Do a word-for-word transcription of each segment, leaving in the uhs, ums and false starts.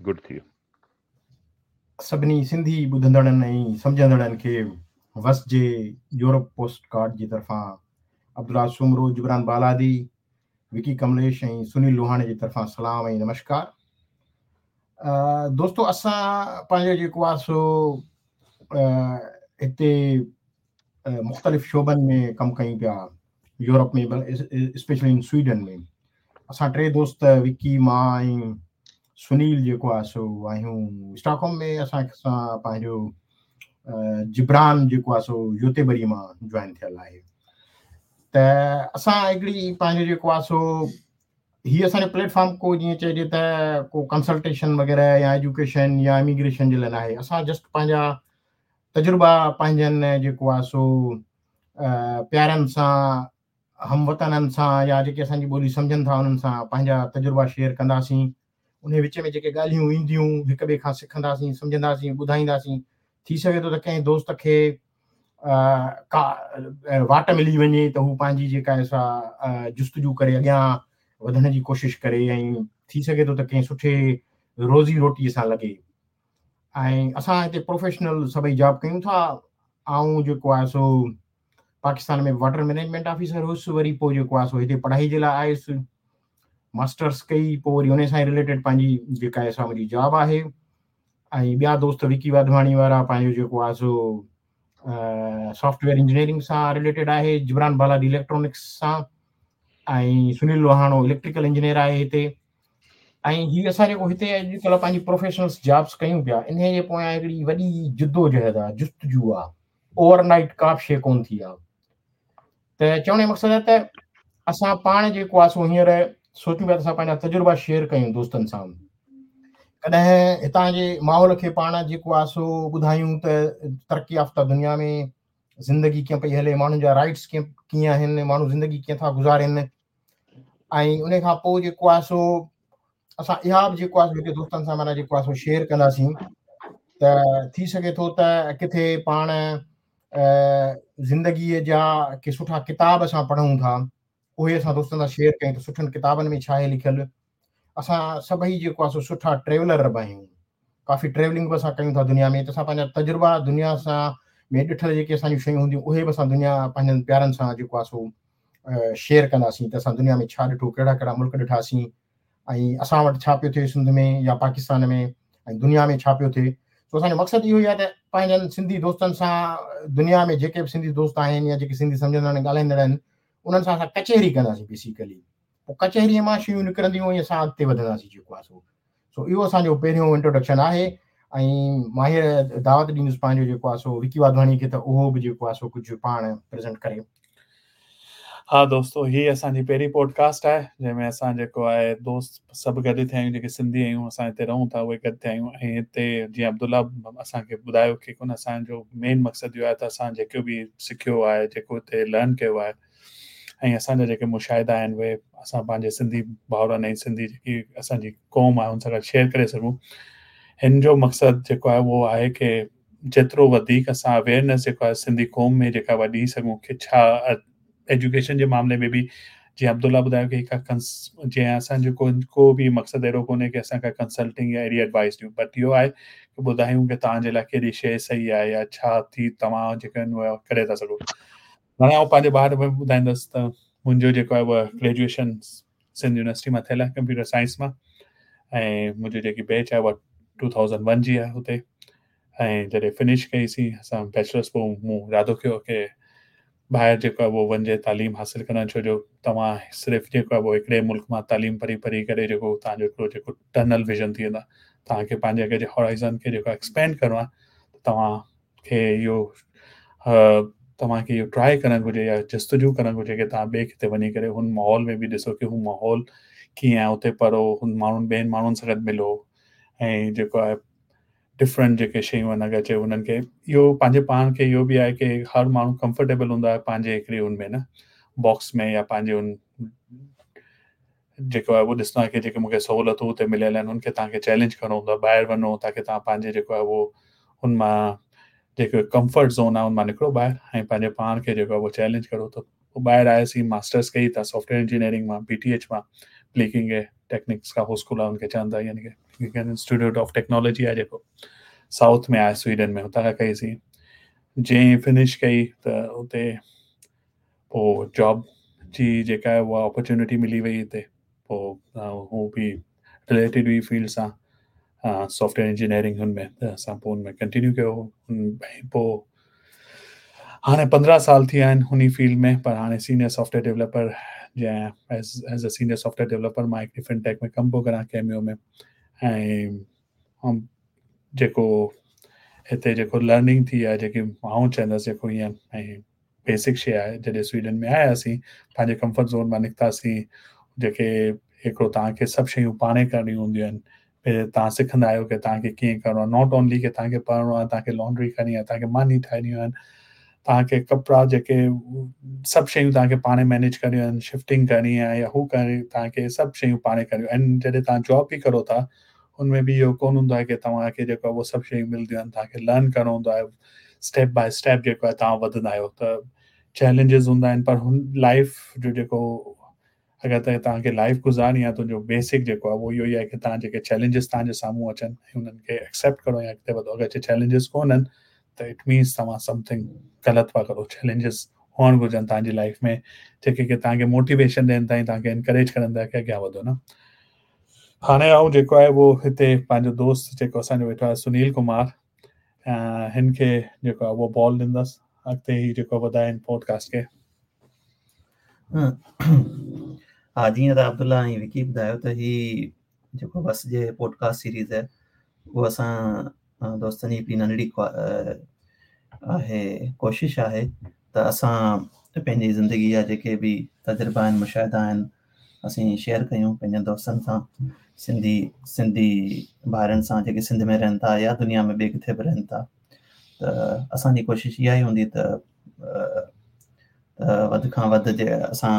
Good ٿي ويو. سڀني سنڌي ٻڌندڙن ۽ سمجهندڙن کي وسجي يورپ پوسٽ ڪارڊ جي طرفان عبدالله سومرو، جبران بالادي، وڪي ڪمليش ۽ سنيل لوهاڻي جي طرفان سلام ۽ نمشڪار. دوستو، اسان پنهنجو جيڪو آهي سو هتي مختلف شعبن ۾ ڪم ڪيون پيا يورپ ۾، اسپيشلي ان سوئيڊن ۾. اسان ٽي دوست وڪي، مان ۽ سنيل جيڪو آهي سو آهيون اسٽاڪهوم ۾. اسان سان پنهنجو جبران جيڪو آهي سو يوتيبري مان جوائن ٿيل آهي. ته اسان هڪڙي پنهنجو جيڪو آهي سو هيءَ اسان جو پليٽ فارم ڪو جيئن چئجي ته ڪو ڪنسلٽيشن وغيره يا ايجوڪيشن يا اميگريشن جي لاءِ نه آهي. اسان جسٽ پنهنجا تجربا پنهنجن جيڪو آهي سو پيارن سان، هم وطنن سان يا جيڪي اسان جي ٻولي سمجهن ٿا انهن سان پنهنجا تجربا شيئر ڪنداسين. ان وچ ۾ جيڪي ڳالهيون اينديون هڪ ٻئي کان سکنداسين، سمجهنداسين، ٻڌائينداسين. ٿي سگهي ٿو ته ڪنهن دوست کي ڪا واٽ ملي وڃي ته هو پنهنجي جيڪا آهي سا جستجو ڪري اڳيان وڌڻ جي ڪوشش ڪري ۽ ٿي سگهي ٿو ته ڪنهن سٺي روزي روٽيءَ سان لڳي. ۽ اسان هتي پروفيشنل سڀئي جاب ڪيون ٿا. آئون جيڪو آهي سو پاڪستان ۾ واٽر مئنيجمينٽ آفيسر هئس، وري پوءِ جيڪو آهي سو هتي پڙهائي جي لاءِ آيس، ماسٽرس ڪئي، پوءِ وري ان سان رليٽيڊ پنهنجي جيڪا آهي سا منهنجي جاب آهي. ۽ ٻيا دوست وڪي واڌواڻي وارا پنهنجو جيڪو آهي سو سافٽ ويئر انجنيئرنگ سان رليٽيڊ آهي، جبران بالادي اليڪٽرانڪس سان، ۽ سنيل لوهاڻو اليڪٽريڪل انجنيئر آهي هتي. ۽ هيءَ اسان جيڪو هتي اڄڪلهه پنهنجي پروفيشنل جابس ڪيون پيا، ان جي پويان هڪڙي وڏي جدوجهد آهي، جستجو آهي. اوور نائيٽ ڪا به شيءِ ڪونه ٿي آهي. ته چوڻ جو مقصد آهي ته اسان پاڻ جيڪو آهي سو هينئر سوچون پيا ته اسان پنهنجا تجربا شيئر ڪيون دوستن سان. ڪڏهن هتان جي ماحول کي پاڻ جيڪو آهي سو ٻڌايون ته ترقي يافته دنيا ۾ زندگي ڪيئن پئي هلي، ماڻهن جا رائٽس ڪيئن ڪيئن آهن، ماڻهو زندگي ڪيئن ٿا گذارين. ۽ ان کان پوءِ جيڪو آهي سو اسان اها به جيڪو آهي هتي دوستن سان معنيٰ جيڪو آهي سو شيئر ڪنداسين ته ٿي سگهي ٿو ته ڪٿي پاڻ زندگيءَ جا ڪي سٺا ڪتاب اسان پڙهون ٿا، اهي اسان دوستن سان شيئر ڪيون ته سٺن ڪتابن ۾ ڇا آهي لکيل. اسان سڀئي جيڪو آهي سو سٺا ٽريولر به آهيون، ڪافي ٽريولنگ به اسان ڪيون ٿا دنيا ۾، ته اسان پنهنجا تجربا دنيا سان ۾ ڏٺل جيڪي اسان جون شيون هونديون اهي به اسان دنيا پنهنجن پيارن سان جيڪو آهي سو شيئر ڪنداسين ته اسان دنيا ۾ ڇا ڏٺو، ڪهڙا ڪهڙا ملڪ ڏٺاسين ۽ اسان وٽ ڇا پيو ٿئي سنڌ ۾ يا پاڪستان ۾ ۽ دنيا ۾ ڇا پيو ٿئي. سو اسان جو مقصد اهو ئي آهي ته پنهنجن سنڌي دوستن سان دنيا ۾ جيڪي به سنڌي دوست آهن يا جيڪي سنڌي سمجهندڙ آهن، ڳالهائيندڙ آهن، انهن سان اسان ڪچهري ڪنداسين. بيسيڪلي پوءِ ڪچهريءَ مان شيون نڪرنديون ۽ اسان اڳتي وڌنداسين جيڪو آهي سو. سو اهو اسان جو پهريون انٽروڊڪشن آهي. ۽ مان هينئر دعوت ڏيندس پنهنجو جيڪو آهي سو وڪي واڌواڻي کي ته اهو به جيڪو آهي سو ڪجهه پاڻ پريزنٽ ڪري. ها دوستو، هيءَ اسان جي پهرين پوڊڪاسٽ آهي جنهن ۾ اسان جيڪو آهي دوست سڀ گڏ ٿيا آهيون، جيڪي سنڌي آهيون، اسان هتي رهون ٿا اهي گڏ ٿيا آهيون. ۽ هتي جيئن عبدالله اسان کي ٻڌايو ڪه ڪونه اسان جو مين مقصد اهو آهي ته اسان جيڪو به سکيو آهي، جيڪو هتي لرن ڪيو آهي ۽ اسان جا جيڪي مشاهدا آهن اهي اسان پنهنجي سنڌي ڀائرن ۽ سنڌي جيڪي اسان جي قوم آهي ان سان گڏ شيئر ڪري سگهون. هن جو مقصد جيڪو آهي اهو آهي ڪه جيترو وڌيڪ اسان اويئرنيس جيڪو آهي سنڌي قوم ۾ جيڪا اها ڏيئي سگهون ڪه ڇا ايجوڪيشن جي معاملي ۾ به جيئن عبدالله ٻڌايو ڪه هڪ جيئن اسان جو ڪو ڪو به مقصد اهڙو ڪونهي ڪه اسان ڪا ڪنسلٽنگ يا اهڙي ايڊوائيس ڏيون، بٽ اهو آهي ڪه ٻڌايون ڪه توهان جي لاءِ ڪهڙي شيءِ صحيح آهي يا ڇا ٿي توهان جيڪا آهن اها ڪري ٿا سگهو. هاڻي آئون پنهنجي باري ۾ ٻڌائيندس ته منهنجو جيڪو آهي اها گريجوئيشن سنڌ يونيورسٽي مان ٿيل آهي ڪمپيوٽر سائنس مان، ۽ منهنجي جيڪي بيچ آهي اها ٽو ٿائوزنڊ ون جي آهي هتي. ۽ جڏهن فنش ڪئيسين اسان بيچلرس، پوءِ مون ارادو ڪيو ڪه ٻاهر جيڪو آهي اهو وڃجي تعليم حاصل ڪرڻ، ڇو جو توهان صرف جيڪو آهي اهو هڪڙي ملڪ مان تعليم پڙهي پڙهي ڪري جيڪو توهان جو هڪڙو جيڪو ٽنل ويزن ٿي ويندو آهي، توهان کي پنهنجي اڳي جي هورائزن کي جيڪو ايڪسپينڊ ڪرڻو آهي ته توهان کي اهو توهان کي اهو ٽرائي ڪرڻ گهرجي يا جستجو ڪرڻ گهرجي ڪه توهان ٻئي ڪٿي وڃي ڪري هن ماحول ۾ به ڏسو ڪه هو ماحول ڪيئن آهي، اتي پڙهو، هن ماڻهن ٻين ماڻهن سان گڏ ملو ۽ جيڪو آهي ڊفرنٽ جيڪي شيون آهن اگر چئي انهن کي اهو پنهنجي پاڻ کي اهو به آهي ڪه هر ماڻهو ڪمفرٽيبل هوندو آهي پنهنجي هڪڙي هن ۾ نه باڪس ۾ يا پنهنجي هن جيڪو آهي اهو ڏسندو آهي ڪه جيڪي مون کي سهوليتون هتي مليل آهن هن کي توهان کي چئلينج ڪرڻو هوندو آهي، ٻاهر وڃو تاڪه توهان پنهنجي جيڪو آهي اهو هن مان جيڪو ڪمفرٽ زون آهي هن مان نڪرو ٻاهر ۽ پنهنجي پاڻ کي جيڪو آهي اهو چئلينج ڪرو. ته پوءِ ٻاهر آياسين، ماسٽرس ڪئي ته سافٽ ويئر انجنيئرنگ مان بي ٽي ايڇ مان بليڪنگ टेक्निक्स का स्कूल आहे उनखे चवनि था, यानी की इंस्टीट्यूट ऑफ टेक्नोलॉजी आहे जेको साउथ में आहे स्वीडन में, हुतां खां कईसीं। जीअं फिनिश कई त उते पोइ जॉब जी जेका आहे उहा अपॉर्चुनिटी मिली वई हिते, पोइ हू बि रिलेटेड हुई फील्ड सां, सॉफ्टवेयर इंजीनियरिंग हुन में, त असां पोइ हुन में कंटिन्यू कयो। पोइ हाणे पंद्रहं साल थी विया आहिनि हुन फील्ड में, पर हाणे सीनियर सॉफ्टवेयर डेवलपर जंहिं as as a senior software developer मां हिकिड़ी फिनटेक में कमु पियो करां कैमियो में। ऐं जेको हिते जेको लर्निंग थी आहे, जेकी आउं चवंदुसि जेको ईअं ऐं बेसिक शइ आहे, जॾहिं स्वीडन में आयासीं पंहिंजे कंफर्ट ज़ोन मां निकितासीं, जेके हिकिड़ो तव्हांखे सभु शयूं पाण ई करणियूं हूंदियूं आहिनि, तव्हां सिखंदा आहियो की तव्हांखे कीअं करिणो आहे, not only की तव्हांखे पढ़िणो आहे, तव्हांखे लॉन्ड्री करणी आहे, तव्हांखे मानी ठाहिणियूं आहिनि, तव्हांखे कपिड़ा जेके सभु शयूं तव्हांखे पाण मैनेज करणियूं आहिनि, शिफ्टिंग करणी आहे या हू करणी, तव्हांखे सभु शयूं पाण करणियूं आहिनि। जॾहिं तव्हां जॉब बि करो था हुन में बि इहो कोन हूंदो आहे की तव्हांखे जेको आहे उहो सभु शयूं मिलंदियूं आहिनि, तव्हांखे लर्न करिणो हूंदो आहे, स्टेप बाय स्टेप जेको आहे तव्हां वधंदा आहियो, त चैलेंजिस हूंदा आहिनि। पर हुन लाइफ जो जेको अगरि त तव्हांखे लाइफ गुज़ारणी आहे, तुंहिंजो बेसिक जेको आहे उहो इहो ई आहे की तव्हां जेके चैलेंजिस तव्हांजे साम्हूं अचनि हुननि खे एक्सेप्ट करो या अॻिते वधो। अगरि चैलेंजिस कोन्हनि त it means तव्हां समथिंग ग़लति पिया करो। चैलेंजिस हुअणु घुर्जनि तव्हांजी लाइफ में, जेके की तव्हांखे मोटिवेशन ॾियनि था ऐं तव्हांखे इनकरेज करनि था की अॻियां वधो न। हाणे आउं जेको आहे उहो हिते पंहिंजो दोस्त जेको असांजो वेठो आहे सुनील कुमार, हिन खे जेको आहे उहो बॉल ॾींदसि, अॻिते ई जेको वधाए पॉडकास्ट खे। हा, जीअं त अब्दुल्ला ऐं विकी ॿुधायो त ही जेको बस जे पॉडकास्ट सीरीज़ आहे उहो असां दोस्तनि जी हिकिड़ी नंढड़ी आहे, कोशिश आहे त असां पंहिंजी ज़िंदगी जा जेके बि तजुर्बा आहिनि, मुशाहिदा आहिनि, असीं शेयर कयूं पंहिंजनि दोस्तनि सां, सिंधी सिंधी भाइरनि सां जेके सिंध में रहनि था या दुनिया में ॿिए किथे बि रहनि था। त असांजी कोशिश इहा ई हूंदी त वधि खां वधि जे असां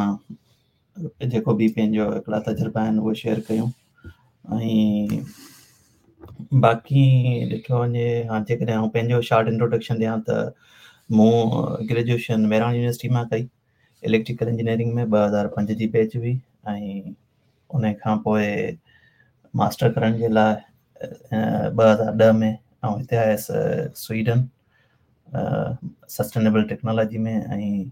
जेको बि पंहिंजो हिकिड़ा तजुर्बा आहिनि उहे शेयर कयूं। ऐं बाक़ी ॾिठो वञे, हा, जेकॾहिं आउं पंहिंजो शॉर्ट इंट्रोडक्शन ॾियां त मूं ग्रेजुएशन मेहरान यूनिवर्सिटी मां कई इलेक्ट्रिकल इंजीनियरिंग में, ॿ हज़ार पंज जी बैच हुई। ऐं उन खां पोइ मास्टर करण जे लाइ ॿ हज़ार ॾह में आउं हिते आयुसि स्वीडन सस्टेनेबल टेक्नोलॉजी में, ऐं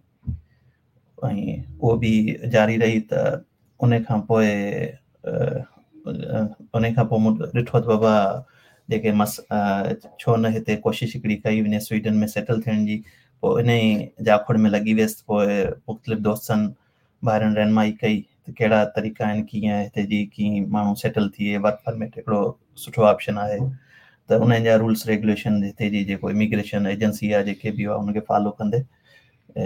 ऐं उहो बि जारी रही। त उन खां पोइ उन खां पोइ मूं ॾिठो त बाबा जेके मस छो न हिते कोशिश हिकिड़ी कई वञे स्वीडन में सेटल थियण जी। पोइ इन ई जाखोड़ में लॻी वियुसि। पोइ मुख़्तलिफ़ दोस्तनि भाइरनि रहनुमाई कई त कहिड़ा तरीक़ा आहिनि, कीअं हिते जी कीअं माण्हू सेटल थिए, वर्क परमिट हिकिड़ो सुठो ऑप्शन आहे। त उन्हनि जा रूल्स रेगुलेशन हिते जी जेको इमिग्रेशन एजेंसी आहे जेके बि आहे उनखे फॉलो कंदे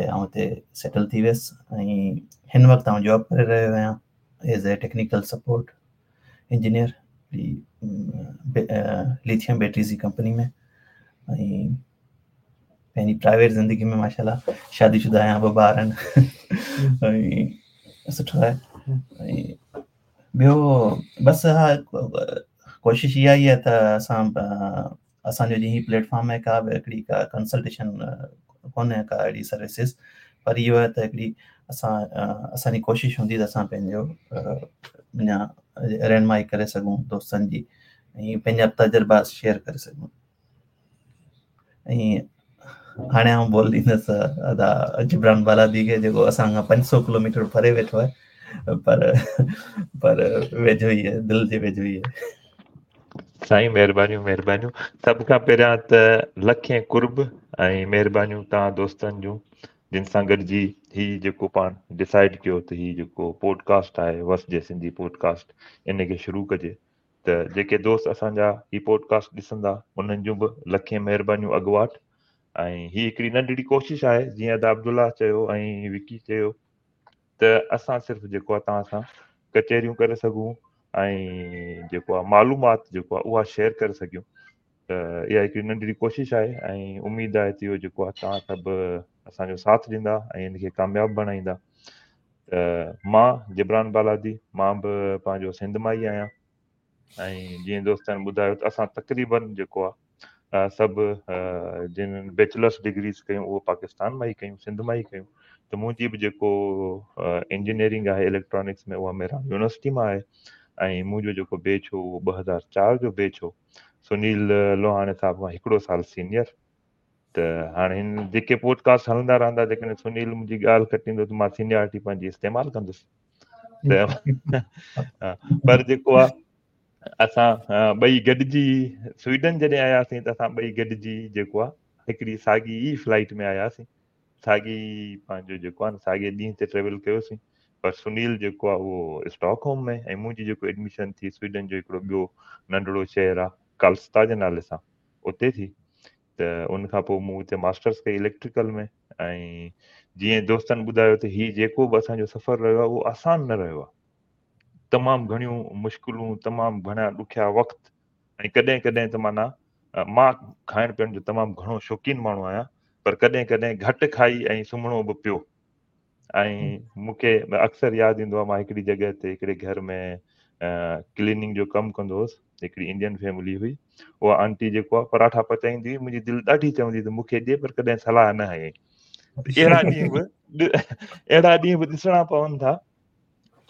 आउं हिते सेटल थी वियुसि। ऐं हिन वक़्तु आउं जॉब करे रहियो आहियां as a technical support engineer lithium batteries ji company में। ऐं पंहिंजी प्राइवेट ज़िंदगी में माशाल्लाह शादीशुदा आहियां, ॿ ॿार आहिनि ऐं सुठो आहे। ऐं ॿियो बसि हा, कोशिश इहा ई आहे त असां असांजो जीअं हीउ प्लेटफॉर्म आहे, का बि हिकिड़ी का कंसल्टेशन कोन्हे का अहिड़ी सर्विसिस, पर इहो आहे त हिकिड़ी असां असांजी कोशिश हूंदी त असां पंहिंजो अञा रहनुमाई करे सघूं दोस्तनि जी ऐं पंहिंजा तजुर्बा शेयर करे सघूं। ऐं हाणे आउं बोल ॾींदुसि अदा जिब्रान बालादी खे, जेको असां खां पंज सौ किलोमीटर परे वेठो आहे, पर पर वेझो ई आहे, दिलि जे वेझो ई आहे। साईं महिरबानियूं महिरबानियूं। सभ खां पहिरियां त लखें कुर्ब ऐं महिरबानियूं तव्हां दोस्तनि जूं, जिन सां गॾिजी ही जेको पाण डिसाइड कयो त ही जेको पॉडकास्ट आहे वस जे सिंधी पॉडकास्ट, इन खे शुरू कजे। त जेके दोस्त असांजा ही पॉडकास्ट ॾिसंदा उन्हनि जूं बि लखें महिरबानियूं अॻवाट। ऐं हीअ हिकिड़ी नंढड़ी कोशिश आहे, जीअं अदा अब्दुल्ला चयो ऐं विकी चयो त असां सिर्फ़ु जेको आहे तव्हां सां कचहरियूं करे सघूं ऐं जेको आहे मालूमात जेको आहे उहा शेयर करे सघूं। त इहा हिकिड़ी नंढड़ी कोशिश आहे ऐं उमेद आहे त इहो जेको आहे तव्हां सभु असांजो साथ ॾींदा ऐं हिनखे कामयाबु बणाईंदा। त मां जिब्रान बालादी, मां बि पंहिंजो सिंध मां ई आहियां ऐं जीअं दोस्तनि ॿुधायो त असां तक़रीबन जेको आहे सभु जिन बैचलर्स डिग्रीज़ कयूं उहो पाकिस्तान मां ई कयूं, सिंध मां ई कयूं। त मुंहिंजी बि जेको इंजीनियरिंग आहे इलेक्ट्रॉनिक्स में उहा मेहरान यूनिवर्सिटी मां आहे ۽ منهنجو جيڪو بيچ هو اهو ٻه هزار چار جو بيچ هو. سنيل لوهاڻي صاحب کان هڪڙو سال سينيئر. ته هاڻي هن جيڪي پوڊڪاسٽ هلندا رهندا، جيڪڏهن سنيل منهنجي ڳالهه ڪٽيندو ته مان سينيارٽي پنهنجي استعمال ڪندس. ته پر جيڪو آهي اسان ٻئي گڏجي سوئيڊن جڏهن آياسين ته اسان ٻئي گڏجي جيڪو آهي هڪڙي ساڳي ئي فلائيٽ ۾ آياسين، ساڳي پنهنجو جيڪو آهي نه ساڳي ڏينهن تي ٽريول ڪيوسين. پر سنيل جيڪو آهي اهو اسٽاڪ هوم ۾ ۽ منهنجي جيڪو ايڊميشن ٿي سوئيڊن جو هڪڙو ٻيو ننڍڙو شهر آهي ڪالستا جي نالي سان، اتي ٿي. ته ان کان پوءِ مون اتي ماسٽرس ڪئي اليڪٽريڪل ۾. ۽ جيئن دوستن ٻڌايو ته هي جيڪو به اسان جو سفر رهيو آهي اهو آسان نه رهيو آهي، تمام گهڻيون مشڪلون، تمام گهڻا ڏکيا وقت. ۽ ڪڏهن ڪڏهن ته معنيٰ مان کائڻ پيئڻ جو تمام گهڻو شوقين ماڻهو آهيان، پر ڪڏهن ڪڏهن گهٽ کائي ۽ سمهڻو به پيو. ۽ مون کي اڪثر ياد ايندو آهي مان هڪڙي جڳهه تي هڪڙي گهر ۾ ڪليننگ جو ڪم ڪندو هئس، هڪڙي انڊين فيملي هئي، اها آنٽي جيڪو آهي پراٺا پچائيندي هئي، منهنجي دل ڏاڍي چوندي ته مون کي ڏي، پر ڪڏهن صلاح نه هنئي. اهڙا ڏينهن به اهڙا ڏينهن به ڏسڻا پون ٿا،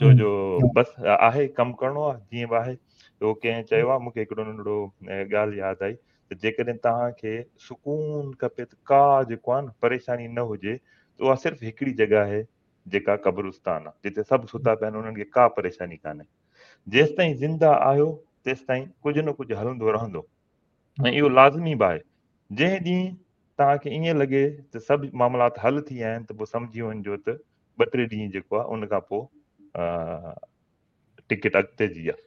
ڇو جو بس آهي ڪم ڪرڻو آهي جيئن به آهي. اهو ڪنهن چيو آهي، مون کي هڪڙو ننڍڙو ڳالهه ياد آئي ته جيڪڏهن توهان کي سڪون کپي ته ڪا جيڪو آهي نه پريشاني نه هجي ته اها صرف هڪڙي جڳهه آهي جيڪا قبرستان آهي، جتي سڀ ستا پيا آهن، انهن کي ڪا پريشاني ڪانهي. جيستائين زنده آهيو تيستائين ڪجهه نه ڪجهه هلندو رهندو ۽ اهو لازمي به آهي. جنهن ڏينهن توهان کي ائين لڳي ته سڀ معاملات حل ٿي ويا آهن ته پوءِ سمجهي وڃجو ته ٻه ٽي ڏينهن جيڪو آهي ان کان پوءِ ٽڪيٽ اڳتي جي آهي.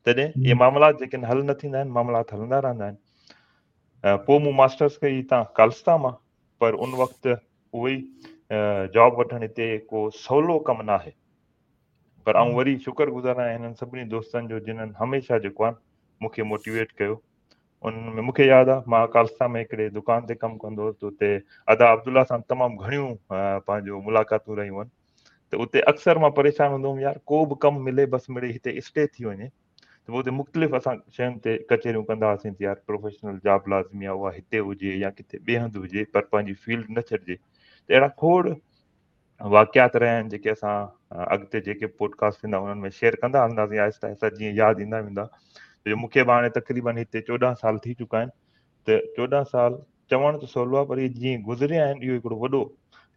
تڏهن اهي معاملات جيڪي حل نه ٿيندا آهن، معاملات هلندا رهندا آهن. پوءِ مون ماسٽرس ڪئي هتان ڪالستا مان، پر ان وقت اهو ئي جاب وٺڻ هتي ڪو سولو ڪم نه آهي. پر آئون وري شڪر گذار آهيان هنن سڀني دوستن جو جنهن هميشه جيڪو آهي مون کي موٽيويٽ ڪيو. ان ۾ مون کي ياد آهي مان ڪالستا ۾ هڪڙي دڪان تي ڪم ڪندو هئس ته اتي ادا عبدالله سان تمام گهڻيون پنهنجو ملاقاتون رهيون آهن. ته اتي اڪثر مان پريشان هوندو هئم، يار ڪو به ڪم ملي بس مڙئي هتي اسٽي ٿي وڃي. ته پوءِ اتي مختلف اسان شين تي ڪچهريون ڪندا هئاسين ته يار پروفيشنل جاب لازمي آهي، اها هتي هجي يا ڪٿي ٻئي هنڌ هجي، پر پنهنجي فيلڊ نه ڇڏجي. ته اهڙا کوڙ واقعات رهيا آهن جيڪي اسان اڳتي جيڪي پوڊڪاسٽ ٿيندا انهن ۾ شيئر ڪندا هلنداسين آهستي آهستي جيئن ياد ايندا ويندا. جو مون کي به هاڻي تقريبن هتي چوڏهن سال ٿي چڪا آهن، ته چوڏهن سال چوڻ ته سولو آهي، پر اهي جيئن گذريا آهن اهو هڪڙو وڏو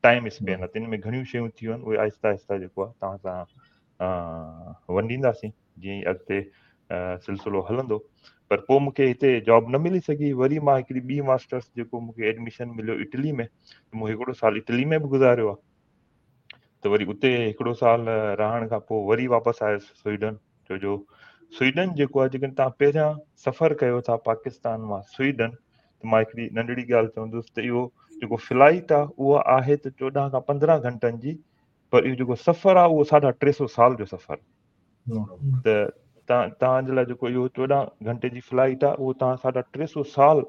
ٽائيم اسپين آهي، تن ۾ گهڻيون شيون ٿيون آهن، اهي آهستي آهستي جيڪو آهي توهان سان ونڊينداسين جيئن ئي اڳتي سلسلو هلندو. پر پوءِ مون کي هتي جاب نه ملي سگهي، وري مان هڪڙي ٻي ماسٽرس جيڪو مون کي ايڊميشن مليو اٽلي ۾، ته مون هڪڙو سال اٽلي ۾ به گذاريو آهي. ته وري اتي هڪڙو سال رهڻ کان پوءِ وري واپس آيس سوئيڊن. ڇو جو سوئيڊن جيڪو آهي، جيڪڏهن توهان پهريان سفر ڪيو ٿا پاڪستان مان سوئيڊن، ته مان هڪڙي ننڍڙي ڳالهه چوندس ته اهو جيڪو فلائيٽ آهي اها آهي ته چوڏهن کان پندرهن گهنٽن جي، پر اهو جيڪو سفر آهي اهو ساڍا ٽي سؤ سال جو سفر. ته توهان توهان جي لاءِ جيڪو اهو چوڏهن گهنٽي جي فلائيٽ آهي اهو توهان ساڍا ٽي سؤ سال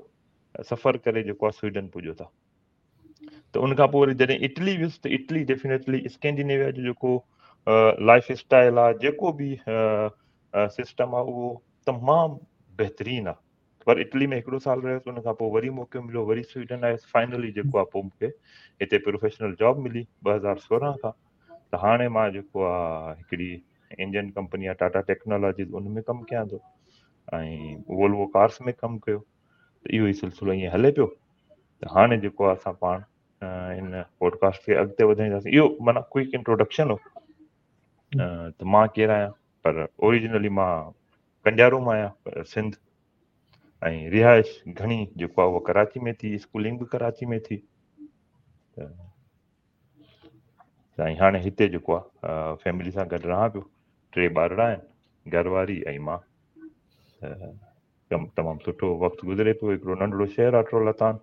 سفر ڪري جيڪو آهي سوئيڊن پڄو ٿا. ته ان کان پوءِ وري جڏهن اٽلي ويس ته اٽلي ڊيفينيٽلي اسڪينڊينيويا جو جيڪو لائف اسٽائل آهي، جيڪو به سسٽم آهي اهو تمام بهترين آهي. پر اٽلي ۾ هڪڙو سال رهيس، ان کان پوءِ وري موقعو مليو، وري سوئيڊن آيس. فائنلي جيڪو آهي پوءِ مون کي هتي پروفيشنل جاب ملي ٻه هزار سورهن کان. ته هاڻي مان جيڪو آهي هڪڙي انڊين ڪمپني آهي ٽاٽا ٽيڪنالاجيز، ان ۾ ڪم ڪيان ٿو ۽ وولوو ڪارس ۾ ڪم ڪيو. ته اهو ئي سلسلو ائين هلي پيو. ته هاڻي جيڪو آهي اسان پاڻ هن پوڊڪاسٽ کي اڳتي وڌائينداسين. اهو معنيٰ ڪوئڪ انٽروڊڪشن هو ته مان ڪير آهيان، پر اوريجنلي مان ڪنڊيارو مان آهيان، پر سنڌ، ۽ رهائش گهڻي جيڪو آهي اها ڪراچي ۾ ٿي، اسڪولنگ به ڪراچي ۾ ٿي. ته سائين هاڻي هتي جيڪو آهي فيملي سان گڏ رهان پيو، ٽي ٻارڙا آهن، گهر واري ۽ مان. ته تمام سٺو وقت گذري پيو. هڪڙو ننڍڙو شهر آهي ٽرولتان،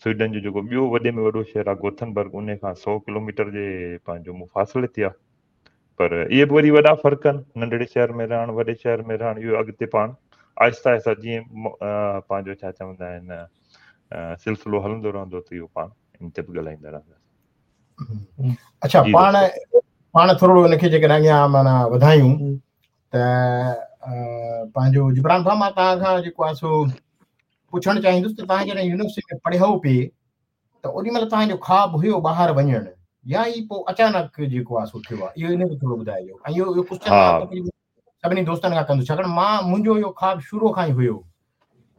سوئيڊن جو جيڪو ٻيو وڏي ۾ وڏو شهر آهي گوٿنبرگ، ان کان سؤ ڪلو ميٽر جي پنهنجو مفاصلي تي آهي. پر اهي به وري وڏا فرق آهن، ننڍڙي شهر ۾ رهڻ وڏي شهر ۾ رهڻ، اهو اڳتي پاڻ آهستي آهستي جيئن پنهنجو ڇا چوندا آهن سلسلو هلندو رهندو ته اهو پاڻ ان تي به ڳالهائيندا رهنداسين. اڇا، پاڻ پاڻ ٿورو ان کي جيڪڏهن اڳيان معنيٰ وڌايون ته پنهنجو جبران ڀاءُ، مان توهان کان جيڪو آهي سو پڇڻ چاهيندس ته توهان جڏهن يونيورسٽي ۾ پڙهيو پئي ته اوڏي مهل توهان جو خواب هيو ٻاهر وڃڻ يا ئي پوءِ اچانڪ جيڪو آهي سو ٿيو آهي؟ اهو ان کي ٿورو ٻڌائجو. ۽ اهو اهو ڪوئسچن مان تقريبن सभिनी दोस्तनि खां कंदुसि, छाकाणि मां मुंहिंजो इहो ख़्वाब शुरू खां ई हुयो।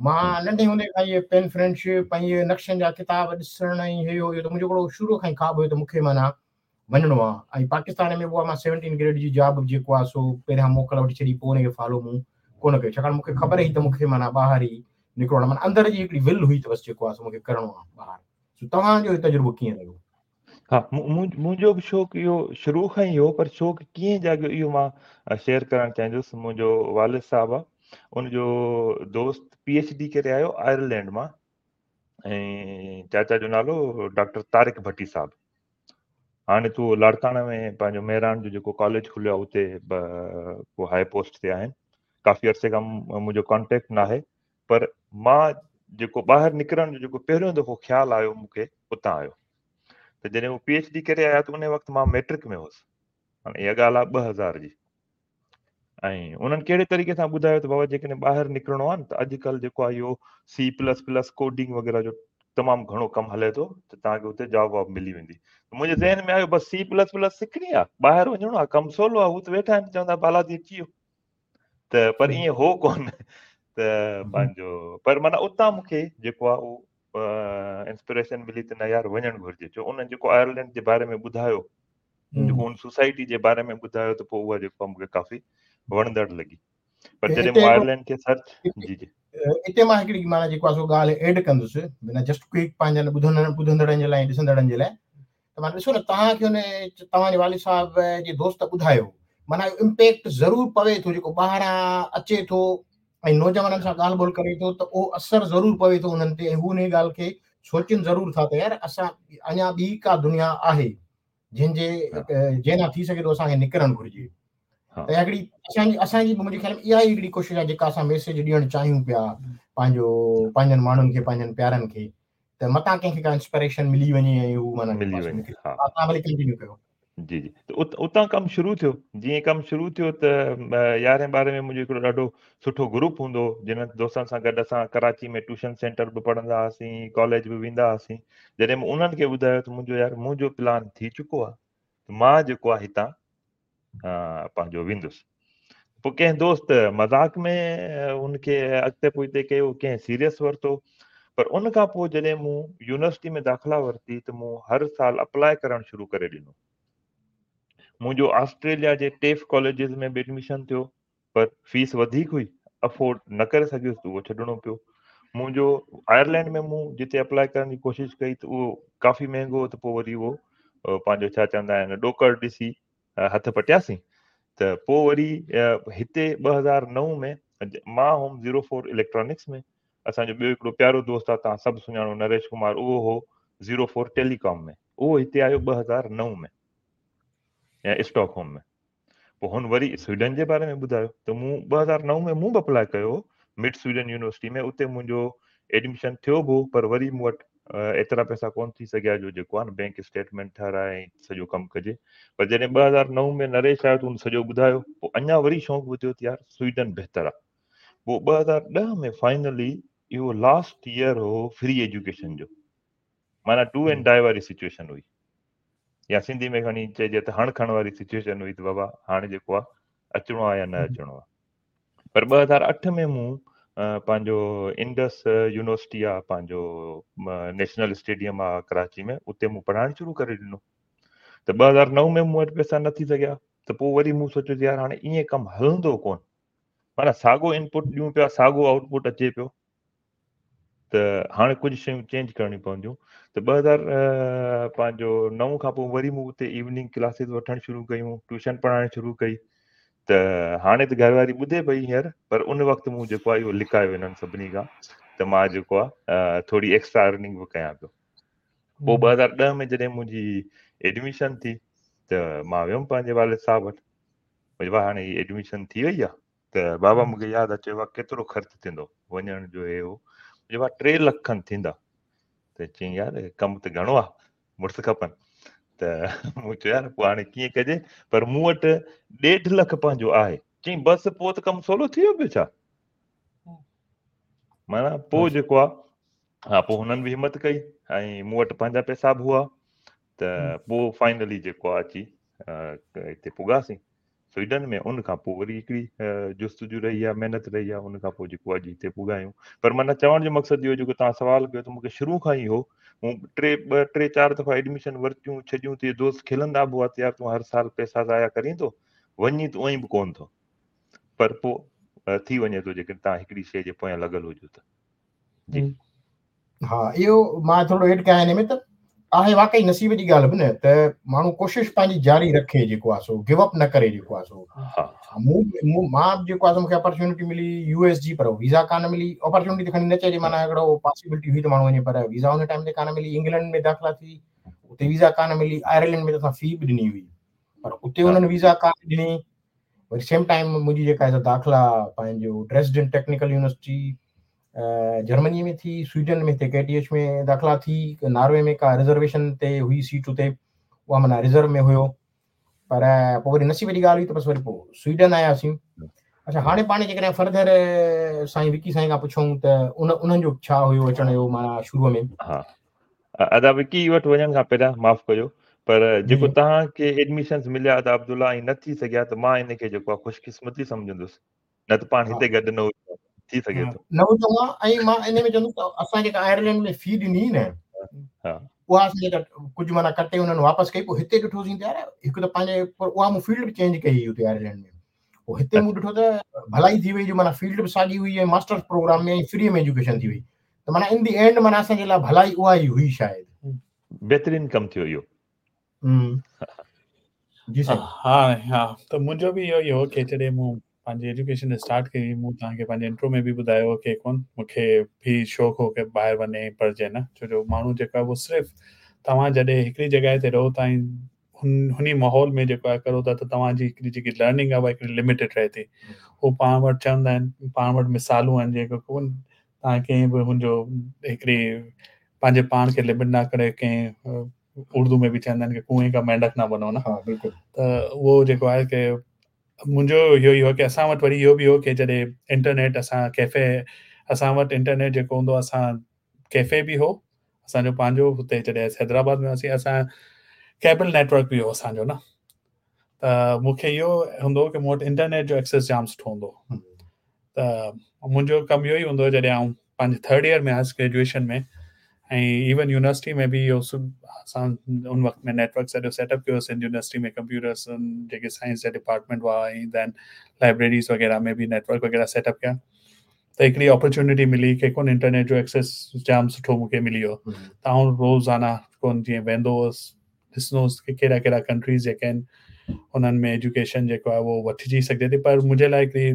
मां नंढे हूंदे खां इहे पेन फ्रेंडशिप ऐं इहे नक्शनि जा किताब ॾिसण ऐं इहो इहो त मुंहिंजो हिकिड़ो शुरू खां ई ख़्वाब हुयो त मूंखे माना वञिणो आहे। ऐं पाकिस्तान में बि उहा मां सेवनटीन ग्रेड जी जॉब जेको आहे सो पहिरियां मोकल वठी छॾी, पोइ हुनखे फॉलो मूं कोन कयो, छाकाणि मूंखे ख़बर हुई त मूंखे माना ॿाहिरि ई निकिरणो आहे, माना अंदरि जी हिकिड़ी will हुई त बसि जेको आहे सो मूंखे करिणो आहे ॿाहिरि। सो तव्हांजो तजुर्बो कीअं रहियो? हा, मुंहिंजो बि शौक़ु इहो शुरू खां ई हो, पर शौक़ु कीअं जाॻियो इहो मां शेयर करणु चाहींदुसि। मुंहिंजो वालिद साहिबु आहे, उनजो दोस्त पी एच डी करे आयो आयरलैंड मां, ऐं चाचा जो नालो डॉक्टर तारिक भट्टी साहिबु। हाणे तूं लाड़काना में पंहिंजो मेहरान जो जेको कॉलेज खुलियो आहे उते को हाई पोस्ट ते आहिनि। काफ़ी अरसे खां मुंहिंजो कॉन्टेक्ट न आहे, पर मां जेको ॿाहिरि निकिरण जो जेको पहिरियों दफ़ो ख़्यालु आयो मूंखे उतां आयो। त जॾहिं हू पी एच डी करे आया त उन वक़्तु मां मैट्रिक में हुउसि, हाणे इहा ॻाल्हि आहे ॿ हज़ार जी। ऐं उन्हनि कहिड़े तरीक़े सां ॿुधायो त बाबा जेकॾहिं ॿाहिरि निकिरणो आहे न त अॼुकल्ह जेको आहे इहो सी प्लस प्लस कोडिंग वग़ैरह जो तमामु घणो कमु हले थो, त तव्हांखे उते जॉब वॉब मिली वेंदी। मुंहिंजे ज़हन में आयो बसि सी प्लस प्लस सिखणी आहे, ॿाहिरि वञिणो आहे, कमु सवलो आहे, हू त वेठा आहिनि चवंदा बाला थी अची वियो, त पर ईअं हो कोन। त पंहिंजो पर माना उतां मूंखे जेको आहे उहो इंस्पिरेशन मिली त न यार वञणु घुरिजे, छो उन्हनि जेको आयरलैंड जे बारे में ॿुधायो, जेको उन सोसाइटी जे बारे में ॿुधायो, त पोइ उहा जेको मूंखे काफ़ी वणंदड़ लॻी। पर जॾहिं मूं आयरलैंड खे सर्च जी जी हिते मां हिकिड़ी माना जेको आहे सो ॻाल्हि एड कंदुसि बिना जस्ट क्विक पंहिंजनि ॿुधंदड़ ॿुधंदड़नि जे लाइ ॾिसंदड़नि जे लाइ। त माना ॾिसो न तव्हांखे हुन तव्हांजे वालिद साहिब जे दोस्त ॿुधायो, माना इम्पैक्ट ज़रूरु पवे थो, जेको ॿाहिरां अचे थो ऐं नौजवाननि सां ॻाल्हि ॿोल करे थो त उहो असरु ज़रूरु पवे थो उन्हनि ते, ऐं हू उन ॻाल्हि खे सोचनि ज़रूरु था त यार असां अञा ॿी का दुनिया आहे जंहिंजे जंहिं थी सघे थो असांखे निकिरणु घुरिजे। त हिकिड़ी असांजी असांजी मुंहिंजे ख़्याल में इहा ई हिकिड़ी कोशिशि आहे जेका असां मैसेज ॾियणु चाहियूं पिया पंहिंजो पंहिंजनि माण्हुनि खे, पंहिंजनि प्यारनि खे, त मतां कंहिंखे का इंस्पिरेशन मिली वञे ऐं हू माना मिली वञे। तव्हां भली कंटिन्यू कयो। जी जी, त उतां कमु शुरू थियो। जीअं कमु शुरू थियो त यारहें ॿारहें में मुंहिंजो हिकिड़ो ॾाढो सुठो ग्रुप हूंदो हो, जिन दोस्तनि सां गॾु असां कराची में ट्यूशन सेंटर बि पढ़ंदा हुआसीं, कॉलेज बि वेंदा हुआसीं। जॾहिं मूं उन्हनि खे ॿुधायो त मुंहिंजो यार मुंहिंजो प्लान थी चुको आहे, त मां जेको आहे हितां पंहिंजो वेंदुसि। पोइ कंहिं दोस्त मज़ाक में उनखे अॻिते पोइते कयो, कंहिं सीरियस वरितो। पर उन खां पोइ जॾहिं मूं यूनिवर्सिटी में दाख़िला वरिती त मूं हर साल अप्लाई करणु शुरू करे ॾिनो। मुंहिंजो ऑस्ट्रेलिया जे टेफ कॉलेजिस में बि एडमिशन थियो, पर फीस वधीक हुई, अफोर्ड न करे सघियुसि त उहो छॾिणो पियो। मुंहिंजो आयरलैंड में मूं जिते अप्लाई करण जी कोशिशि कई त उहो काफ़ी महिंगो हो, त पोइ वरी उहो पंहिंजो छा चवंदा आहिनि ॾोकड़ ॾिसी हथ पटियासीं। त पोइ वरी हिते ॿ हज़ार नौ में मां हुउमि ज़ीरो फोर इलेक्ट्रॉनिक्स में। असांजो ॿियो हिकिड़ो प्यारो दोस्त आहे, तव्हां सभु सुञाणो, नरेश कुमार, उहो हो ज़ीरो फोर टेलीकॉम में। उहो हिते आयो ॿ हज़ार नौ में या स्टॉकहोम में। पोइ हुन वरी स्वीडन जे बारे में ॿुधायो त मूं ॿ हज़ार नौ में मूं बि अप्लाई कयो मिड स्वीडन यूनिवर्सिटी में, उते मुंहिंजो एडमिशन थियो बि हो, पर वरी मूं वटि एतिरा पैसा कोन थी सघिया जो जेको आहे न बैंक स्टेटमेंट ठाराए ऐं सॼो कमु कजे। पर जॾहिं ॿ हज़ार नौ में नरेश आयो त हुन सॼो ॿुधायो, पोइ अञा वरी शौक़ु वधियो त यार स्वीडन बहितर आहे। पोइ ॿ हज़ार ॾह में फाइनली इहो लास्ट ईयर हो फ्री एजुकेशन जो, माना do and die वारी सिचुएशन हुई, या सिंधी में खणी चइजे त हण खण वारी सिचुएशन हुई त बाबा हाणे जेको आहे अचिणो आहे या न अचिणो आहे। पर ॿ हज़ार अठ में मूं पंहिंजो इंडस यूनिवर्सिटी आहे, पंहिंजो नेशनल स्टेडियम आहे कराची में, उते मूं पढ़ाइणु शुरू करे ॾिनो। त ॿ हज़ार नौ में मूं वटि पैसा न थी सघिया, त पोइ वरी मूं सोचियो त यार हाणे ईअं कमु हलंदो कोन, माना साॻो इनपुट ॾियूं पिया, साॻो आउटपुट अचे पियो, त हाणे कुझु शयूं चेंज करणियूं पवंदियूं। त ॿ हज़ार पंहिंजो नौ खां पोइ वरी मूं उते इवनिंग क्लासिस वठणु शुरू कयूं, ट्यूशन पढ़ाइणु शुरू कई। त हाणे त घरवारी ॿुधे पई हींअर, पर उन वक़्तु मूं जेको आहे इहो लिकायो हिननि सभिनी खां त मां जेको आहे थोरी एक्स्ट्रा अर्निंग बि कयां पियो। पोइ ॿ हज़ार ॾह में जॾहिं मुंहिंजी एडमिशन थी त मां वियुमि पंहिंजे वालिद साहिब वटि, भई हाणे हीअ एडमिशन थी वई आहे। त बाबा मूंखे यादि आहे, चयो आहे केतिरो ख़र्चु थींदो वञण जो हे हो, चयो आहे टे लख खनि थींदा। त चयईं यार कमु त घणो आहे, मुड़ुस खपनि। त मूं चयो यार पोइ हाणे कीअं कजे, पर मूं वटि ॾेढ लख पंहिंजो आहे। चयईं बसि पोइ त कमु सवलो थी वियो पियो छा, माना पोइ जेको आहे हा, पोइ हुननि बि हिमत कई ऐं मूं वटि पंहिंजा पैसा बि हुआ, त पोइ फाइनली जेको आहे अची हिते पुॻासीं। سوئيڊن ۾. ان کان پوءِ وري هڪڙي جستجو رهي آهي، محنت رهي آهي، ان کان پوءِ جيڪو اڄ هتي پڳا آهيون. پر معنيٰ چوڻ جو مقصد اهو جيڪو توهان سوال ڪيو ته مون کي شروع کان ئي هو، مون ٽي ٻه ٽي چار دفعا ايڊميشن ورتيون ڇڏيون ته دوست کلندا به هئا ته يار تون هر سال پئسا ضايع ڪرين ٿو، وڃي ته اونئن به ڪونه ٿو، پر پوءِ ٿي وڃي ٿو جيڪڏهن توهان هڪڙي شيءِ جي پويان لڳل هجو ته. جي ها، اهو مان ٿورو ايڊ ڪيان هن ۾ ته آهي واقعي نصيب جي ڳالهه به نه ته ماڻهو ڪوشش پنهنجي جاري رکي جيڪو آهي سو گو اپ نه ڪري جيڪو آهي سو. مون مان جيڪو آهي سو مون کي اپرچونٽي ملي يو ايس جي، پر ويزا ڪانه ملي. اپرچونٽي ته کڻي نه چئجي، معنيٰ هڪڙو پاسيبلٽي هئي ته ماڻهو وڃي، پر ويزا ان ٽائيم تي ڪانه ملي. انگلينڊ ۾ داخلا ٿي، اتي ويزا ڪانه ملي. آئرلينڊ ۾ ته اسان في به ڏني هئي، پر اتي انهن ويزا ڪانه ڏني. وري سيم ٽائيم منهنجي جيڪا آهي داخلا پنهنجو ڊريسڊن ٽيڪنيڪل يونيورسٽي جرمني ۾ ٿي، سوئيڊن ۾ هتي ڪي ٽي ايڇ ۾ داخلا ٿي، ناروي ۾ ڪا رزرويشن تي هئي سيٽ اتي، اها معنيٰ رزرو ۾ هيو. پر پوءِ وري نصيب جي ڳالهه هئي ته بس وري پوءِ سوئيڊن آياسين. اڇا، هاڻي پاڻ جيڪڏهن فردر سائين وڪي سائين کان پڇون ته ان انهن جو ڇا هيو اچڻ جو معنيٰ شروع ۾؟ ها ادا وڪي وٽ وڃڻ کان پهريان معاف ڪجو، پر جيڪو توهان کي ايڊميشنس مليا ادا عبدالله ۽ نه ٿي سگهيا ته مان ان کي جيڪو آهي خوشقسمتي سمجهندس، نه ته پاڻ هتي گڏ نه هجون، ٿي سگهي ٿو نه هجون ها. ۽ مان ان ۾ چوندس ته اسان جيڪا آئرلينڊ ۾ في ڏني نه، ها اها اسان جيڪا ڪجهه معنيٰ ڪٽي انهن واپس ڪئي. پوءِ هتي ڏٺوسين ته يار هڪ ته پنهنجي، پر اها مون فيلڊ به چينج ڪئي هئي اتي آئرلينڊ ۾. پوءِ هتي مون ڏٺو ته ڀلائي ٿي وئي جو معنيٰ فيلڊ به ساڳي هئي ۽ ماسٽرس پروگرام ۾ ۽ فري ۾ ايجوڪيشن ٿي وئي، ته معنيٰ ان the and معنيٰ اسان جي لاءِ ڀلائي اها ئي هئي شايد. بهترين ڪم ٿيو اهو. جي سائين. ها ها، ته منهنجو به اهو ئي هو ڪه جڏهن مون پنهنجي ايجوڪيشن اسٽارٽ ڪئي، مون توهان کي پنهنجي انٽرو ۾ به ٻڌايو ڪه ڪونه مون کي به شوق هو ڪه ٻاهر وڃي پڙهجي نه، ڇو جو ماڻهو جيڪو آهي اهو صرف توهان جڏهن هڪڙي جڳهه تي رهو ٿا ۽ هن هن ماحول ۾ جيڪو آهي ڪرو ٿا ته توهان جي هڪڙي جيڪي لرننگ آهي اها هڪڙي لميٽيڊ رهي ٿي. هو پاڻ وٽ چوندا آهن، پاڻ وٽ مثالون آهن جيڪو ڪونه توهان ڪنهن به هن جو هڪڙي پنهنجي پاڻ کي لمٽ نه ڪري، ڪنهن اردو ۾ به چوندا آهن ڪه ڪوئين ڪا مينڍڪ نه بنو نه. ها بلڪل. ته اهو جيڪو آهي ڪه منهنجو اهو ئي هو ڪه اسان وٽ وري اهو به هو ڪه جڏهن انٽرنيٽ اسان ڪيفي، اسان وٽ انٽرنيٽ جيڪو هوندو اسان ڪيفي به هو اسان جو پنهنجو هتي. جڏهن حيدرآباد ۾ هئاسين اسان ڪيبل نيٽ ورڪ به هو اسان جو نه، ته مون کي اهو هوندو هو ڪه مون وٽ انٽرنيٽ جو ايڪسيس جام سٺو هوندو هو. ته منهنجو ڪم اهو ئي هوندو هو جڏهن آئون پنهنجي ٿرڊ ايئر ۾ آيس گريجوئيشن ۾ ۽ ايون يونيورسٽي ۾ به اهو اسان ان وقت ۾ نيٽ ورڪ سڄو سيٽ اپ ڪيو سنڌ يونيورسٽي ۾ ڪمپيوٽرس جيڪي سائنس جا ڊپارٽمينٽ هئا ۽ دين لائبريريز وغيره ۾ به نيٽ ورڪ وغيره سيٽ اپ ڪيا. ته هڪڙي اپرچونٽي ملي ڪه ڪونه انٽرنيٽ جو ايڪسيس جام سٺو مون کي ملي ويو، ته آئون روزانه ڪونه جيئن ويندو هئس ڏسندو هئس ڪه ڪهڙا ڪهڙا ڪنٽريز جيڪي آهن انهن ۾ ايجوڪيشن جيڪو آهي اهو وٺجي سگهجي ٿي. پر منهنجي لاءِ هڪڙي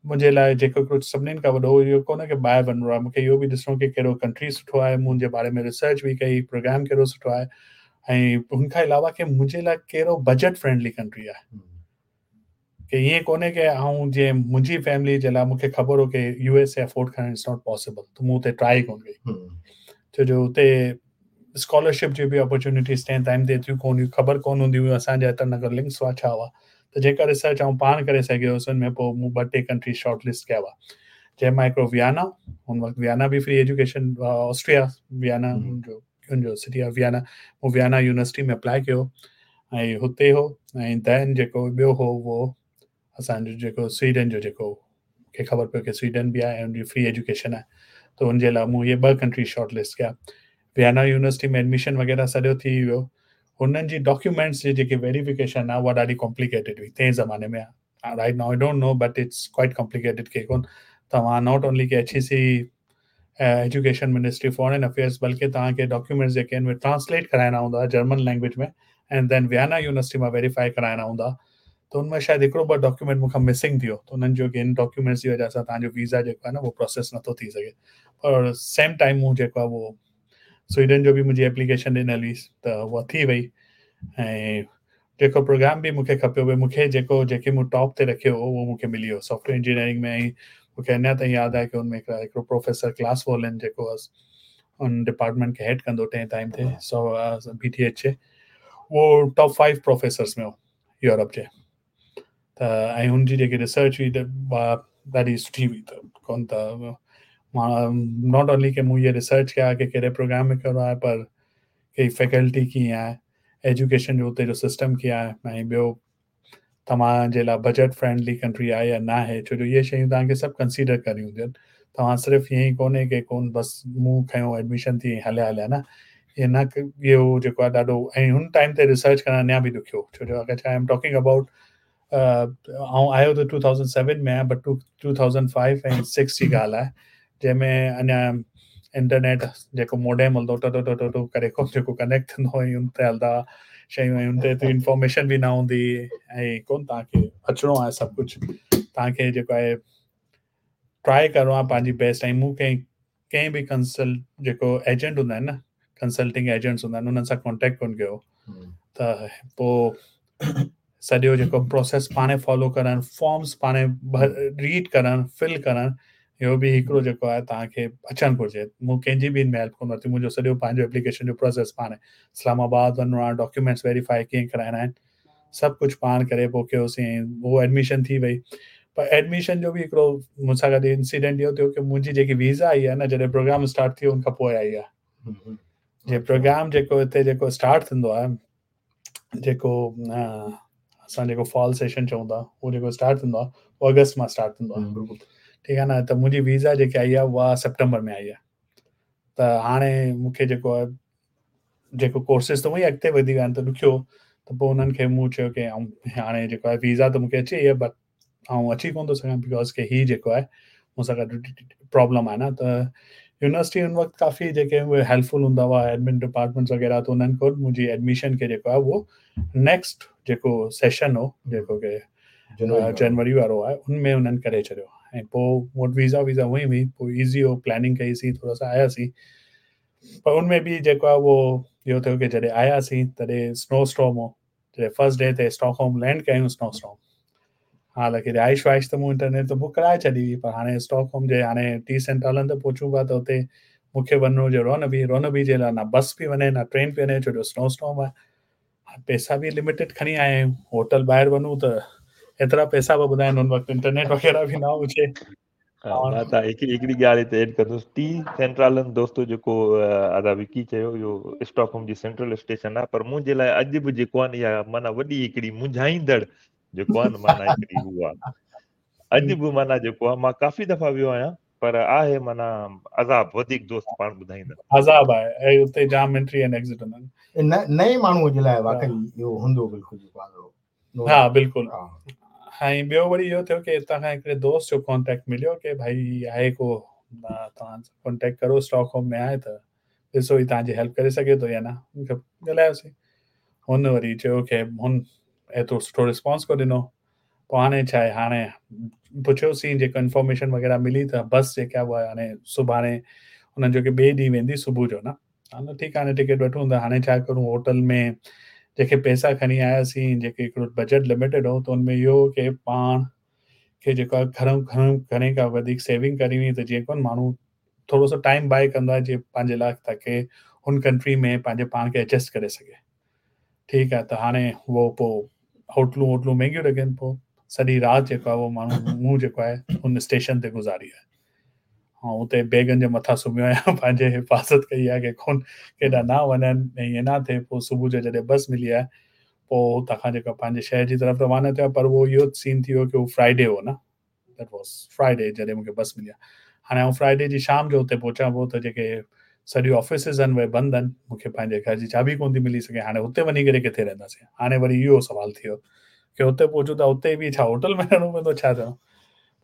منهنجي لاءِ جيڪو هڪڙو سڀنين کان وڏو اهو ڪونهي ڪه ٻاهر وڃڻو آهي، مون کي اهو به ڏسڻو ڪه ڪهڙو ڪنٽري سٺو آهي، منهنجي باري ۾ ريسرچ به ڪئي، پروگرام ڪهڙو سٺو آهي، ۽ هن کان علاوه ڪه منهنجي لاءِ ڪهڙو بجيٽ فرينڊلي ڪنٽري آهي. ڪه ائين ڪونهي ڪه آئون جيئن منهنجي فيملي جي لاءِ مون کي خبر هو ڪه يو ايس اي افورڊ ڪرڻ it's not possible, ته مون هتي ٽرائي ڪونه ڪئي، ڇو جو هتي اسڪالرشپ جي به اپرچونٽيز تنهن ٽائيم تي ايتريون ڪونه هيون، خبر ڪونه هوندي هيون اسان جا ايترا نه لنڪس هئا ڇا هئا. ته جيڪا ريسرچ آئون پاڻ ڪري سگهيو هئس ان ۾ پوءِ مون ٻه ٽي ڪنٽري شارٽ لسٽ ڪيا هئا، جنهن مان هڪڙو ويانا، هن وقت ويانا به فري ايجوڪيشن، آسٽريا ويانا جو هن جو سٽي آهي ويانا، مون ويانا يونيورسٽي ۾ اپلائي ڪيو ۽ هتي هو. ۽ دين جيڪو ٻيو هو اهو اسان جو جيڪو سوئيڊن جو، جيڪو مون کي خبر پيو ڪه سوئيڊن به آهي ۽ هن جي فري ايجوڪيشن آهي، ته هن جي لاءِ مون اهي ٻه ڪنٽري شارٽ لسٽ ڪيا. ويانا يونيورسٽي ۾ ايڊميشن وغيره سڄو ٿي ويو. هنن جي ڊاڪيومينٽس جي جيڪي ويريفڪيشن آهي اها ڏاڍي ڪامپليڪيٽيڊ هئي تنهن زماني ۾. Right now I don't know but it's quite complicated ڪه ڪونه توهان not only K H E C education ministry foreign affairs, بلڪه توهان کي ڊاڪيومينٽس جيڪي آهن اهي ٽرانسليٽ ڪرائڻا هوندا جرمن لينگويج ۾ ۽ دين ويانا يونيورسٽي مان ويريفائي ڪرائڻا هوندا. ته هن مان شايد هڪڙو ٻه ڊاڪيومينٽ مون کان مسنگ ٿي ويو، ته هنن چيو ڪه هن ڊاڪيومينٽس جي وجهه سان توهان جو ويزا جيڪو آهي نه اهو پروسيس نٿو ٿي سگهي. پر سيم ٽائيم مون جيڪو آهي اهو سوئيڊن جو به منهنجي ايپليڪيشن ڏنل هئي ته اها ٿي وئي. ۽ جيڪو پروگرام به مون کي کپيو پئي، مون کي جيڪو جيڪي مون ٽاپ تي رکيو هو اهو مون کي ملي ويو سافٽ ويئر انجنيئرنگ ۾. ۽ مون کي اڃا تائين ياد آهي ڪه هن ۾ هڪڙو پروفيسر ڪلاس وولن جيڪو هن ڊپارٽمينٽ کي هيڊ ڪندو تنهن ٽائيم تي سو بي ٽي ايڇ جي، اهو ٽاپ فائيو پروفيسرس ۾ هو يورپ جي. ته ۽ هن جي جيڪي ريسرچ هئي ته اها ڏاڍي سٺي هئي. ته ڪونه ته مان not only ڪه مون اهي ريسرچ ڪيا ڪه ڪهڙي پروگرام ۾ ڪهڙو آهي، پر ڪه فيڪلٽي ڪيئن آهي، ايجوڪيشن جو هتي جو سسٽم ڪيئن آهي، ۽ ٻيو तव्हां जे लाइ बजट फ्रेंडली कंट्री आहे या न आहे, छो जो इहे शयूं तव्हांखे सभु कंसीडर करणियूं हूंदियूं आहिनि। तव्हां सिर्फ़ु ईअं ई कोन्हे की कोन बसि मूं खयो एडमिशन थी हलिया हलिया न, इहे न इहो जेको आहे ॾाढो ऐं हुन टाइम ते रिसर्च करणु अञा बि ॾुखियो, छो जो अगरि I am talking about आउं आयो त टू थाउज़ेंड सेवन में आहियाँ, but two two thousand five ऐं सिक्स जी ॻाल्हि आहे, जंहिंमें अञा इंटरनेट जेको मोडेम हलंदो टो टो टो टो करे जेको कनेक्ट थींदो ऐं उन ते हलंदा शयूं ऐं उन ते एतिरी इंफॉर्मेशन बि न हूंदी ऐं कोन तव्हांखे अचिणो आहे सभु कुझु, तव्हांखे जेको आहे ट्राई करिणो आहे पंहिंजी बेस्ट। ऐं मूं कंहिं कंहिं बि कंसल्ट जेको एजेंट हूंदा आहिनि न, कंसल्टिंग एजेंट्स हूंदा आहिनि, उन्हनि सां कॉन्टेक्ट कोन कयो, त पोइ सॼो जेको प्रोसेस पाण फॉलो करणु, फॉर्म्स पाण रीड करणु, फिल करणु, इहो बि हिकिड़ो जेको आहे तव्हांखे अचणु घुरिजे। मूं कंहिंजी बि हिन में हेल्प कोन वरिती, मुंहिंजो सॼो पंहिंजो एप्लीकेशन जो प्रोसेस पाण इस्लामाबाद वञिणो आहे, डॉक्यूमेंट्स वेरीफाई कीअं कराइणा आहिनि, सभु कुझु पाण करे पोइ कयोसीं, उहो एडमिशन थी वई। पर एडमिशन जो बि हिकिड़ो मूंसां गॾु इंसिडेंट इहो थियो की मुंहिंजी जेकी वीज़ा आई आहे न, जॾहिं प्रोग्राम स्टार्ट थियो उनखां पोइ आई आहे। जे प्रोग्राम जेको हिते जेको स्टार्ट थींदो आहे, जेको असां जेको फॉल सेशन चऊं था, उहो जेको स्टार्ट थींदो आहे उहो अगस्त मां स्टार्ट थींदो आहे, ठीकु आहे न। त मुंहिंजी वीज़ा जेकी आई आहे उहा सितंबर में आई आहे, त हाणे मूंखे जेको आहे जेको कोर्सिस त उहा ई अॻिते वधी विया आहिनि त ॾुखियो, त पोइ उन्हनि खे मूं चयो की ऐं हाणे जेको आहे वीज़ा त मूंखे अची वई आहे, बट आउं अची कोन थो सघां because की हीउ जेको आहे मूंसां गॾु प्रॉब्लम आहे न। त यूनिवर्सिटी उन वक़्तु काफ़ी जेके उहे हेल्पफुल हूंदा हुआ एडमिन डिपार्टमेंट्स वग़ैरह, त उन्हनि खां मुंहिंजी एडमिशन खे जेको आहे उहो नेक्स्ट जेको सेशन हो जेको की जनवरी वारो आहे उन में उन्हनि करे छॾियो। ऐं पोइ मूं वटि वीज़ा वीज़ा हुई हुई, पोइ ईज़ी हो, प्लानिंग कईसीं, थोरो सो आयासीं। पर उन में बि जेको आहे उहो इहो थियो की जॾहिं आयासीं तॾहिं स्नो स्टॉर्म हो, जॾहिं फर्स्ट डे ते स्टॉकहोम लैंड कयूं स्नो स्टॉर्म, हालांकि रिहाइश विहाइश त मूं इंटरनेट ते बुक कराए छॾी हुई, पर हाणे स्टॉकहोम जे हाणे टी सेंट्रलन ते पहुचूं पिया त हुते मूंखे वञिणो हुजे रोनबी, रोनबी जे लाइ न बस पई वञे न ट्रेन पई वञे, छो जो स्नो स्टॉर्म आहे। पैसा बि लिमिटेड खणी आया आहियूं, होटल ॿाहिरि वञूं त एतिरा पैसा पिया ॿुधाइनि, हुन वक़्तु इंटरनेट वग़ैरह बि न हुजे। मां त हिकिड़ी हिकिड़ी ॻाल्हि हिते एड कंदुसि, टी सेंट्रलन दोस्तो जेको अदा विकी चयो इहो स्टॉकहोम जी सेंट्रल स्टेशन आहे, पर मुंहिंजे लाइ अॼु बि जेको आहे न इहा माना वॾी हिकिड़ी मुंझाईंदड़ जेको आहे न माना हिकिड़ी उहा अॼु बि माना जेको आहे मां काफ़ी दफ़ा वियो आहियां, पर आहे माना अज़ाब वधीक दोस्त पाण ॿुधाईंदा अज़ाब आहे ऐं उते जाम एंट्री ऐं एग्ज़िट हूंदा आहिनि। नए माण्हूअ जे लाइ वाकई इहो हूंदो बिल्कुलु जेको हा बिल्कुलु। ऐं ॿियो वरी इहो थियो की हितां खां हिकिड़े दोस्त जो कॉन्टेक्ट मिलियो की भाई आहे को तव्हां कॉन्टेक्ट करो, स्टॉकहोम में आहे त ॾिसो ही तव्हांजी हेल्प करे सघे थो या न। मूंखे ॻाल्हायोसीं, हुन वरी चयो की हुन एतिरो सुठो रिस्पॉन्स को ॾिनो। पोइ हाणे छा आहे, हाणे पुछियोसीं जेको इन्फॉर्मेशन वग़ैरह मिली त बस जेका उहा हाणे सुभाणे हुननि चयो की ॿिए ॾींहुं वेंदी सुबुह जो न। हाणे ठीकु आहे, हाणे टिकट वठूं त हाणे छा करूं, होटल में जेके पैसा खणी आयासीं, जेके हिकिड़ो बजट लिमिटेड हो, त हुन में इहो की पाण खे जेको आहे घणो घणो घणे खां वधीक सेविंग करणी हुई, त जीअं कोन माण्हू थोरो सो टाइम बाय कंदो आहे जीअं पंहिंजे लाइ, ताकी हुन कंट्री में पंहिंजे पाण खे एडजस्ट करे सघे। ठीकु आहे, त हाणे उहो पोइ होटलूं वोटलूं महिंगियूं लॻनि, पोइ सॼी राति जेको आहे उहो माण्हू मूं जेको आहे हुन स्टेशन ते गुज़ारी आहे ऐं उते बैगनि जे मथां सुम्हियो आहियां, पंहिंजी हिफ़ाज़त कई आहे की कोन केॾां न वञनि ऐं ईअं न थिए। पोइ सुबुह जो जॾहिं बस मिली आहे पोइ हुतां खां जेको पंहिंजे शहर जी तरफ़ रवाना थिया, पर उहो इहो सीन थी वियो की उहो फ्राइडे हो न, that was Friday जॾहिं मूंखे बस मिली आहे। हाणे आउं फ्राइडे जी शाम जो हुते पहुचां पियो त जेके सॼियूं ऑफिसिस आहिनि उहे बंदि आहिनि, मूंखे पंहिंजे घर जी चाबी कोन थी मिली सघे। हाणे हुते वञी करे किथे रहंदासीं? हाणे वरी इहो सवाल थी वियो की हुते पहुचूं त हुते बि छा होटल में रहणो पवंदो, छा थियणो?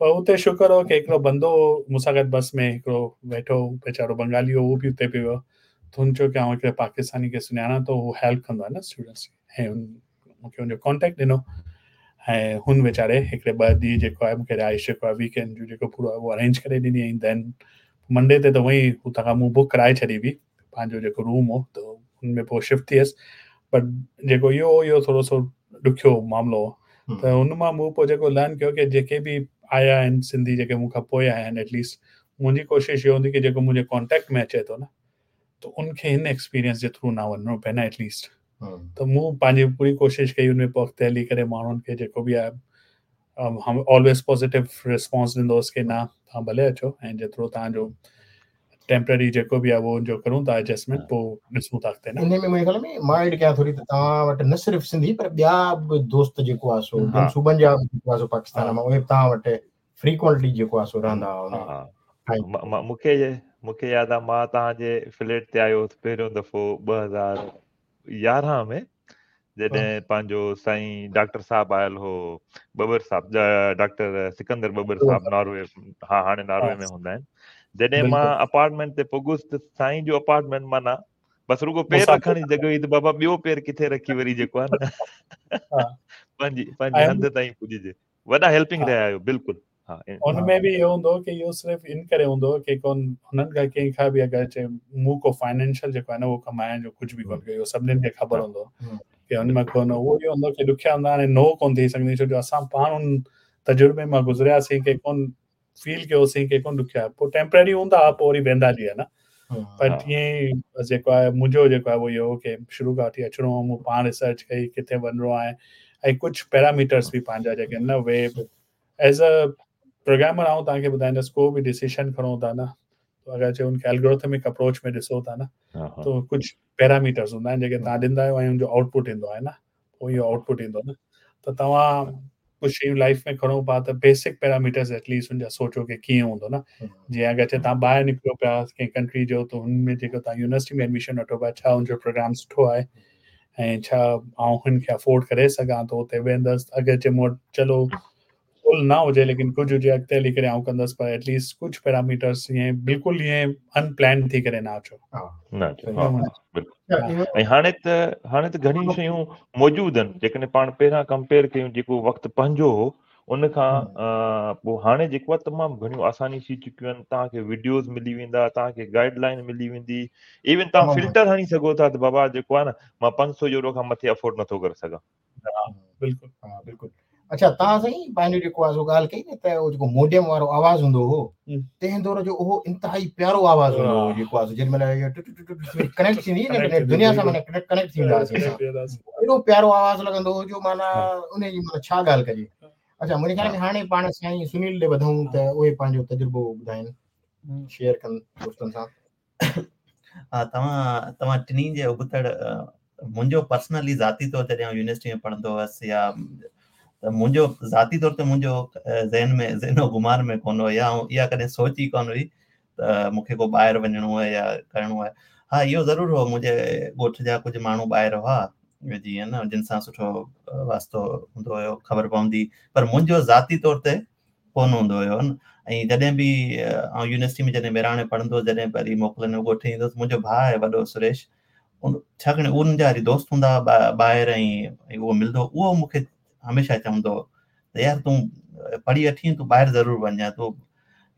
पर उते शुक्र हो की हिकिड़ो बंदो मूंसां गॾु बस में हिकिड़ो वेठो, वीचारो बंगाली हो, उहो बि उते पियो वियो। त हुन चयो की आउं हिकिड़े पाकिस्तानी खे सुञाणां थो, उहो हेल्प कंदो आहे न स्टूडेंट्स खे, ऐं मूंखे हुनजो कॉन्टेक्ट ॾिनो ऐं हुन वीचारे हिकिड़े ॿ ॾींहं जेको आहे मूंखे रिहाइश जेको आहे वीकेंड जो जेको पूरो आहे उहो अरेंज करे ॾिनी। ऐं then Monday ते त उहा ई हुतां खां मूं बुक कराए छॾी हुई पंहिंजो जेको रूम हो, त हुन में पोइ शिफ्ट थी वियसि। बट जेको इहो हो इहो थोरो सो ॾुखियो मामिलो हो, त हुन मां मूं पोइ जेको लर्न कयो की जेके बि आया आहिनि सिंधी जेके मूंखां पोइ आया आहिनि, एटलीस्ट मुंहिंजी कोशिशि इहो हूंदी की जेको मुंहिंजे कॉन्टेक्ट में अचे थो न, त उनखे हिन एक्सपीरियंस जे थ्रू न वञिणो पए न एटलीस्ट। त मूं पंहिंजी पूरी कोशिशि कई हुन में पोइ अॻिते हली करे माण्हुनि खे जेको बि आहे हम ऑलवेज़ पॉज़िटिव रिस्पॉन्स ॾींदो हुउसि की न तव्हां भले अचो ऐं जेतिरो तव्हांजो टेम्पररी जेको बि आहे उहो उनजो करूं था एडजस्टमेंट, पोइ ॾिसूं था अॻिते न। इन में मुंहिंजे ख़्याल में मां एड कयां थोरी त तव्हां वटि न सिर्फ़ सिंधी पर ॿिया बि दोस्त जेको आहे सो ॿियनि सूबनि जा जेको आहे सो पाकिस्तान मां, उहे तव्हां वटि फ्रीक्वेंटली जेको आहे सो रहंदा हुआ। मूंखे मूंखे यादि आहे मां तव्हांजे फ्लैट ते आयो हुउसि पहिरियों दफ़ो ॿ हज़ार यारहं में, जॾहिं पंहिंजो साईं डॉक्टर साहब आयल हो, बबर साहब, डॉक्टर सिकंदर बबर साहब, नॉर्वे, हा हाणे नॉर्वे में हूंदा आहिनि। जॾहिं मां अपार्टमेंट ते पुॻुसि त साईं जो अपार्टमेंट माना बसि रुगो पेर रखण जी जॻह हुई त बाबा ॿियो पेर किथे रखी वरी जेको आहे न पंहिंजी पंहिंजे हंधु ताईं पुॼिजे। वॾा हेल्पिंग रहिया आहियो बिल्कुलु। उन में बि इहो हूंदो की इहो सिर्फ़ इन करे हूंदो की कोन हुननि खां कंहिंखां बि अगरि चए मूं को फाइनेंशियल जेको आहे न उहो कमाइण जो कुझु बि कोन कयो, सभिनीनि खे ख़बर हूंदो की हुन मां कोन उहो इहो हूंदो की ॾुखिया हूंदा, हाणे नो कोन थी सघंदी, छो जो असां पाण उन तजुर्बे मां गुज़रियासीं की कोन फील कयोसीं की कोन ॾुखिया, पोइ टेम्पररी हूंदा पोइ वरी वेंदा हली आहे न। पर तीअं ई जेको आहे मुंहिंजो जेको आहे उहो इहो की शुरू खां वठी अचिणो हो, मूं पाण रिसर्च कई किथे वञिणो आहे ऐं कुझु पैरामीटर्स बि पंहिंजा जेके आहिनि न उहे एज़ अ प्रोग्रामर आउं तव्हांखे ॿुधाईंदुसि, को बि डिसीशन खणो था न, अगरि चए उनखे एल्गोरिथमिक अप्रोच में ॾिसो था न त कुझु पैरामीटर्स हूंदा आहिनि जेके तव्हां ॾींदा आहियो ऐं हुनजो आउटपुट ईंदो आहे न, पोइ इहो आउटपुट ईंदो न। त तव्हां कुझु शयूं लाइफ में खणो पिया त बेसिक पैरामीटर्स एटलीस्ट हुनजा सोचो की कीअं हूंदो न। जीअं अगरि चए तव्हां ॿाहिरि निकिरो पिया कंहिं कंट्री जो त हुन में जेको तव्हां यूनिवर्सिटी में एडमिशन वठो पिया, छा हुनजो प्रोग्राम सुठो आहे ऐं छा आउं हुनखे अफोर्ड करे सघां थो, हुते वेंदुसि। अगरि चए मूं वटि चलो फुल न हुजे लेकिन कुझु हुजे अॻिते हली करे आउं कंदुसि, पर एटलीस्ट कुझु पैरामीटर्स ईअं बिल्कुलु ईअं अनप्लान थी करे न अचो। न अचो, ऐं हाणे त हाणे त घणियूं शयूं मौजूदु आहिनि, जेकॾहिं पाण पहिरियां कंपेयर कयूं जेको वक़्तु पंहिंजो हो उन खां पोइ हाणे जेको आहे तमामु घणियूं आसानी थी चुकियूं आहिनि। तव्हांखे वीडियोज़ मिली वेंदा, तव्हांखे गाइडलाइन मिली वेंदी, इवन तव्हां फिल्टर हणी सघो था त बाबा जेको आहे न मां पंज सौ यूरो खां मथे अफोर्ड नथो करे सघां। बिल्कुलु, हा बिल्कुलु। अच्छा, तव्हां साईं पंहिंजो जेको आहे सो ॻाल्हि कई न त उहो जेको मोडियम वारो आवाज़ हूंदो हो तंहिं दौर जो उहो इंतिहाई प्यारो आवाज़ हूंदो हो जेको आहे जेॾी महिल कनेक्ट थींदी न दुनिया सां माना कनेक्ट थी वेंदा हुआसीं, एॾो प्यारो आवाज़ लॻंदो हो जो माना उन जी माना छा ॻाल्हि कजे। अच्छा, मुंहिंजे ख़्याल में हाणे पाण साईं सुनील ॾे वधूं त उहे पंहिंजो तजुर्बो ॿुधाइनि, शेयर कनि दोस्तनि सां। हा, तव्हां तव्हां टिन्ही जे उबतड़ मुंहिंजो पर्सनली ज़ाती तौर जॾहिं आउं यूनिवर्सिटी में पढ़ंदो हुअसि या त मुंहिंजो ज़ाती तौर ते मुंहिंजो ज़हन में ज़हनो गुमान में कोन हो या इहा कॾहिं सोच ई कोन हुई त मूंखे को ॿाहिरि वञिणो आहे या करिणो आहे। हा, इहो ज़रूरु हो मुंहिंजे ॻोठ जा कुझु माण्हू ॿाहिरि हुआ जीअं न जिन सां सुठो वास्तो हूंदो हुयो, ख़बर पवंदी, पर मुंहिंजो ज़ाती तौर ते कोन हूंदो हुयो न। ऐं जॾहिं बि आउं यूनिवर्सिटी में जॾहिं बहिराणे पढ़ंदो हुउसि, जॾहिं वरी मोकिलनि में ॻोठ ईंदो हुउसि, मुंहिंजो भाउ आहे वॾो सुरेश, उन छाकाणि उन जा वरी दोस्त हूंदा ॿाहिरि ऐं उहो मिलंदो, उहो मूंखे हमेशह चवंदो हो त यार तूं पढ़ी वठी, तूं ॿाहिरि ज़रूरु वञ, तूं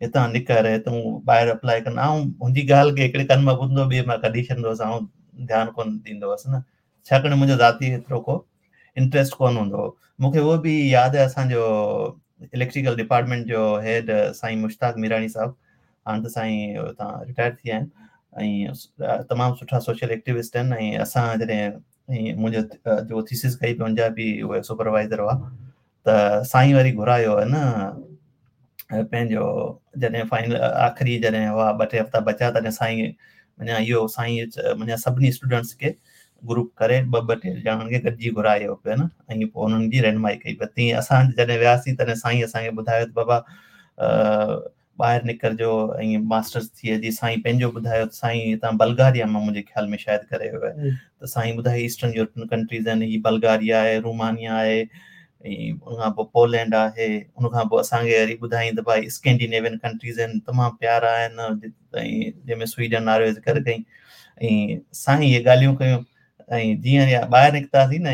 हितां निकर, तूं ॿाहिरि अप्लाई कर। आउं हुनजी ॻाल्हि खे हिकिड़े कन मां ॿुधंदो, ॿिए मां कढी छॾींदो हुउसि, आउं ध्यानु कोन ॾींदो हुअसि न, छाकाणि मुंहिंजो ज़ाती एतिरो को इंट्रस्ट कोन हूंदो हो। मूंखे उहो बि यादि आहे असांजो इलेक्ट्रिकल डिपार्टमेंट जो हेड साईं मुश्ताक मीराणी साहिबु, हाणे त साईं हुतां रिटायर थी विया आहिनि ऐं तमामु सुठा सोशल एक्टिविस्ट आहिनि। ऐं असां जॾहिं ऐं मुंहिंजो जो थीसिस कई पियो हुनजा बि उहे सुपरवाइज़र हुआ, त साईं वरी घुरायो आहे न पंहिंजो जॾहिं फाइनल आख़िरी जॾहिं हुआ ॿ टे हफ़्ता बचा, तॾहिं साईं मञा इहो साईं मञा सभिनी स्टूडेंट्स खे ग्रुप करे ॿ ॿ टे ॼणनि खे गॾिजी घुरायो पियो न, ऐं पोइ उन्हनि जी रहनुमाई कई पई। तीअं असां जॾहिं वियासीं तॾहिं साईं असांखे ॿुधायो त बाबा ॿाहिरि निकिरिजो ऐं मास्टर्स थी अची। साईं पंहिंजो ॿुधायो त साईं हितां बल्गारिया मां मुंहिंजे ख़्याल में शायदि करे वियो आहे, त साईं ॿुधायो ईस्टर्न यूरोपियन कंट्रीज़ आहिनि, हीअ बल्गारिया आहे, रोमानिया आहे, ऐं उनखां पोइ पोलैंड आहे, उनखां पोइ असांखे वरी ॿुधाई त भाई स्कैंडिनेवियन कंट्रीज़ आहिनि, तमामु प्यारा आहिनि, ऐं जंहिंमें स्वीडन नॉर्वे ज़िक्र कई। ऐं साईं इहे ॻाल्हियूं कयूं ऐं जीअं ॿाहिरि निकितासीं न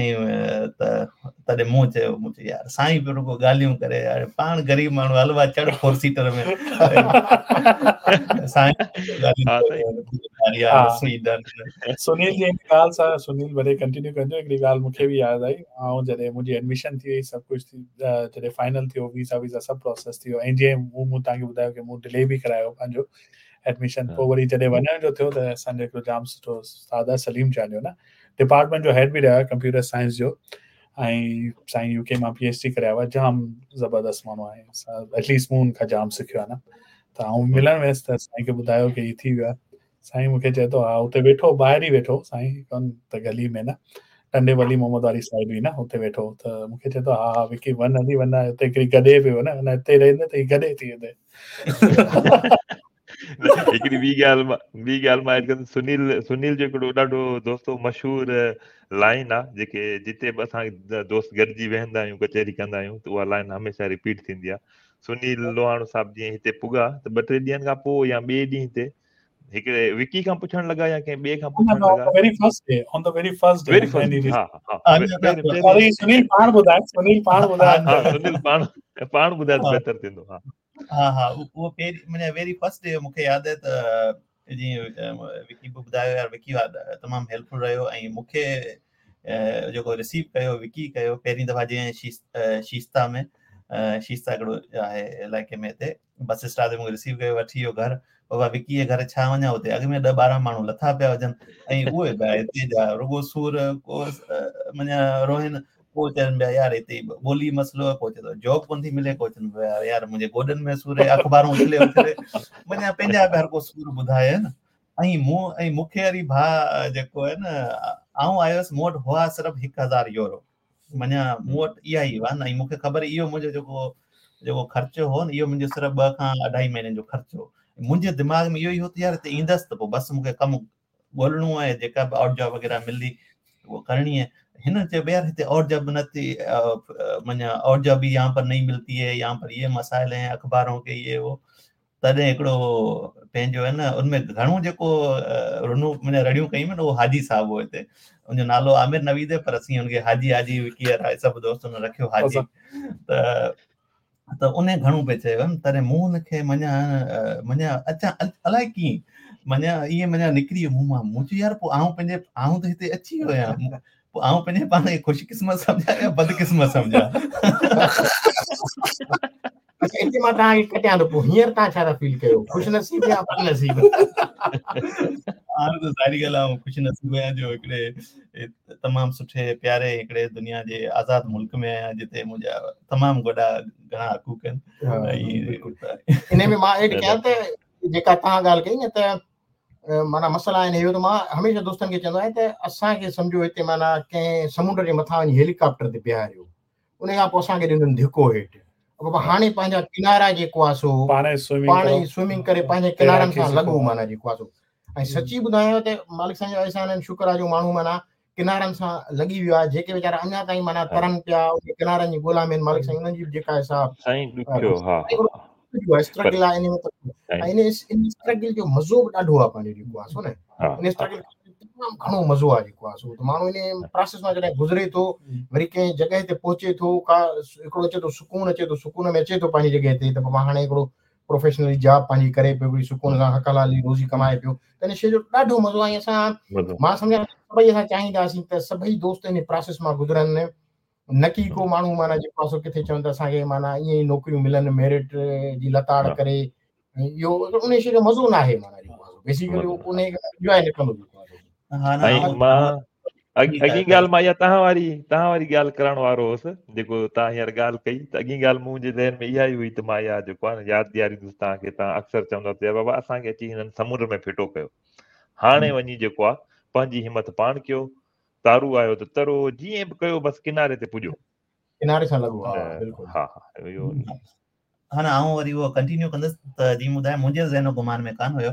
त तॾहिं मूं चयो, मूं चयो यार साईं पियो रुगो ॻाल्हियूं करे यार, पाण ग़रीब माण्हू हलवा चढ़ फोर सीटर में। साईं स्वीडन। सुनील जी ॻाल्हि सां सुनील भले कंटिन्यू कंजो। हिकिड़ी ॻाल्हि मूंखे बि यादि आई, ऐं जॾहिं मुंहिंजी एडमिशन थी वई, सभु कुझु थी, जॾहिं फाइनल थियो, वीज़ा वीज़ा सभु प्रोसेस थी वियो, ऐं जीअं मूं तव्हांखे ॿुधायो की मूं डिले बि करायो पंहिंजो एडमिशन, पोइ वरी जॾहिं वञण जो थियो त असांजो हिकिड़ो जाम सुठो उस्ताद आहे सलीम चांडियो न, डिपार्टमेंट जो हेड बि रहियो आहे कंप्यूटर साइंस जो, ऐं साईं यूके मां पी एच डी करे आयो आहे, जाम ज़बरदस्त माण्हू आहे, एटलीस्ट मूं हुनखां जाम सिखियो आहे न। त त आउं मिलण वियुसि त साईं खे ॿुधायो की हीउ थी वियो आहे। साईं मूंखे चए थो हा उते वेठो ॿाहिरि ई वेठो साईं कोन त गली में न टंडे वली मोहम्मद वारी साइड हुई न उते वेठो त मूंखे चए थो हा हा विकी वञ हली वञ हुते हिकिड़ी गॾे पियो न हिते रहंदे त हीउ गॾे थी वेंदे। हिकिड़ी ॿी ॻाल्हि ॿी ॻाल्हि मां ऐड सुनील सुनील जो हिकिड़ो ॾाढो दोस्तो मशहूर लाइन आहे जेके जिते बि असां दोस्त गॾिजी वेहंदा आहियूं कचहरी कंदा आहियूं त उहा लाइन हमेशह रिपीट थींदी आहे। सुनील लोहाणो साहिबु जीअं हिते पुॻा त ॿ टे ॾींहंनि खां पोइ या ॿिए ॾींहं ते हिकिड़े विकी खां पुछण लॻा या कंहिं ॿिए खां पुछण लॻा very first day on the very first day very first हा हा सुनील पाण ॿुधाए सुनील पाण ॿुधाए हा सुनील पाण पाण ॿुधाए त बहितर थींदो। हा हा हा उहो पहिरीं माना वेरी फर्स्ट डे मूंखे यादि आहे त जीअं विकी बि ॿुधायो यार विकी तमामु हेल्पफुल रहियो ऐं मूंखे जेको रिसीव कयो विकी कयो पहिरीं दफ़ा जीअं शीस्ता में शीस्ता हिकिड़ो आहे इलाइक़े में हिते बस स्टॉप ते मूंखे रिसीव कयो वठी वियो घर। बाबा विकी जे घर छा वञा हुते अॻु में ॾह ॿारहं माण्हू लथा पिया हुजनि ऐं उहे पिया हिते जा रुॻो सूर को माना रोहिन को चवनि पिया यार हिते ॿोली मसइलो को चए थो जॉब कोन थी मिले को चवनि पिया यार मुंहिंजे गोॾनि में सूर आहे अख़बारूं उछले उछले माना पंहिंजा बि हर को सूर ॿुधाए न। ऐं मूं ऐं मूंखे वरी भाउ जेको आहे न आउं आयुसि मूं वटि हुआ सिर्फ़ु हिकु हज़ार यूरो माना मूं वटि इहा ई हुआ न ऐं मूंखे ख़बर इहो मुंहिंजो जेको जेको ख़र्चो हो न इहो मुंहिंजो सिर्फ़ु ॿ खां अढाई महीननि जो ख़र्चो हो। मुंहिंजे दिमाग़ में इहो ई हो त यार हिते ईंदसि त पोइ बसि मूंखे कमु ॻोल्हिणो आहे जेका बि आउट जॉब वग़ैरह मिलंदी उहो करणी आहे। हिन चयो यार हिते और जॉब न थी माना और जॉब भी यहाँ पर नहीं मिलती है यहाँ पर ये मसाइल हैं अख़बारों के ये वो। तॾहिं हिकिड़ो पंहिंजो आहे न उनमें घणो जेको रुनू माना रड़ियूं कयूं न उहो हाजी साहिबु हो हिते उनजो नालो आमिर नवीद आहे पर असीं हुनखे हाजी हाजी विकी सभु दोस्तनि रखियो हाजी त त उन घणो पिए चयो तॾहिं मूं हुनखे माना माना अचां अलाए कीअं माना ईअं माना निकिरी वियो मुंहुं मां मूं चयो यार पोइ आउं पंहिंजे आउं त हिते अची वियो आहियां पोइ आउं पंहिंजे पाण खे ख़ुशकिस्मत सम्झां या बदकिस्मत सम्झां। हिते मां तव्हांखे कटियां थो पोइ हींअर तव्हां छा था फील कयो ख़ुशनसीब या बदनसीब? हाणे त ज़ाहिरी ॻाल्हि आहे ख़ुशनसीब आहियां जो हिकिड़े तमामु सुठे प्यारे हिकिड़े दुनिया जे आज़ाद मुल्क में आहियां जिते मुंहिंजा तमामु वॾा घणा हक़ूक़ आहिनि। इन में मां एड कयां त जेका तव्हां ॻाल्हि कई न त माना मसइला आहिनि इहो त मां हमेशह दोस्तनि खे चवंदो आहियां त असांखे सम्झो हिते माना कंहिं समुंड जे मथां वञी हेलीकॉप्टर ते बीहारियो उन खां पोइ असांखे ॾिननि धिको हेठि बाबा हाणे पंहिंजा किनारा जेको आहे सो पाण ई स्विमिंग करे पंहिंजे किनारनि सां लॻो माना जेको आहे सो। ऐं सची ॿुधायां त मालिक साईं जो अहसान आहिनि शुक्र आहे जो माण्हू माना किनारनि सां लॻी वियो आहे जेके वीचारा अञा ताईं माना तरनि पिया किनारनि जी ॻोल्हा में आहिनि मालिक साईं उन्हनि जी बि जेका आहे सा स्ट्रगल आहे इन में ऐं इन स्ट्रगल जो मज़ो बि ॾाढो आहे पंहिंजो जेको आहे सो न इन स्ट्रगल तमामु घणो मज़ो आहे जेको आहे सो त माण्हू इन प्रोसेस मां जॾहिं गुज़रे थो वरी कंहिं जॻह ते पहुचे थो का हिकिड़ो अचे थो सुकून अचे थो सुकून में अचे थो पंहिंजी जॻह ते त बाबा हाणे हिकिड़ो प्रोफेशनली जॉब पंहिंजी करे पियो हिकिड़ी सुकून सां हक़ हलाल जी रोज़ी कमाए पियो त इन शइ जो ॾाढो मज़ो आहे। असां मां सम्झां सभई असां चाहींदासीं त सभई दोस्त इन प्रोसेस मां गुज़रनि न की को माण्हू माना जेको आहे सो किथे चवनि त असांखे माना ईअं ई नौकरियूं मिलनि मेरिट जी लताड़ करे इहो उन शइ जो मज़ो न आहे माना जेको आहे बेसिकली उन इंजॉय न कंदो जेको आहे। मां अॻी ॻाल्हि मां इहा तव्हां वारी तव्हां वारी ॻाल्हि करण वारो हुउसि जेको तव्हां हींअर ॻाल्हि कई त अॻी ॻाल्हि मुंहिंजे ज़हन में इहा ई हुई त मां इहा जेको आहे न यादि ॾियारींदुसि तव्हांखे तव्हां अक्सर चवंदा त बाबा असांखे अची हिननि समुंड में फिटो कयो हाणे वञी जेको आहे पंहिंजी हिमत पाण कयो तारू आयो त तरो जीअं बि कयो बसि किनारे ते पुॼो किनारे सां लॻो हा बिल्कुलु हा हा इहो हा न आउं वरी उहो कंटिन्यू कंदुसि त जीअं ॿुधायो मुंहिंजे ज़हन गुमान में कान हुयो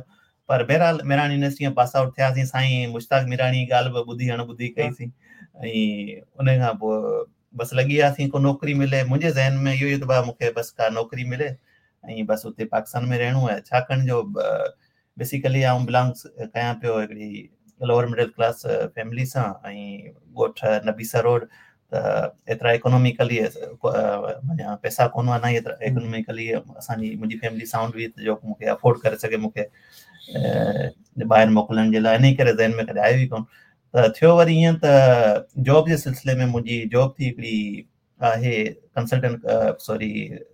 पर बहरहाल मेहरान यूनिवर्सिटी में पास आउट थियासीं साईं मुश्ताक मीराणी ॻाल्हि बि ॿुधी अण ॿुधी कईसीं ऐं उन खां पोइ बसि लॻी वियासीं को नौकिरी मिले मुंहिंजे ज़हन में इहो ई त भाउ मूंखे बसि का नौकिरी मिले ऐं बसि उते पाकिस्तान में रहणो आहे छाकाणि जो बेसिकली आउं बिलोंग कयां पियो हिकिड़ी लोअर मिडल क्लास फैमिली सां ऐं ॻोठ नबीसा रोड त एतिरा इकोनॉमिकली माना पैसा कोन हुआ न ई एतिरा इकोनॉमिकली असांजी मुंहिंजी फैमिली साउंड हुई जो मूंखे अफोर्ड करे सघे मूंखे ॿाहिरि मोकिलण जे लाइ इन करे ज़हन में कॾहिं आयो ई कोन। त थियो वरी ईअं त जॉब जे सिलसिले में मुंहिंजी जॉब थी हिकिड़ी आहे कंसल्टेंट सॉरी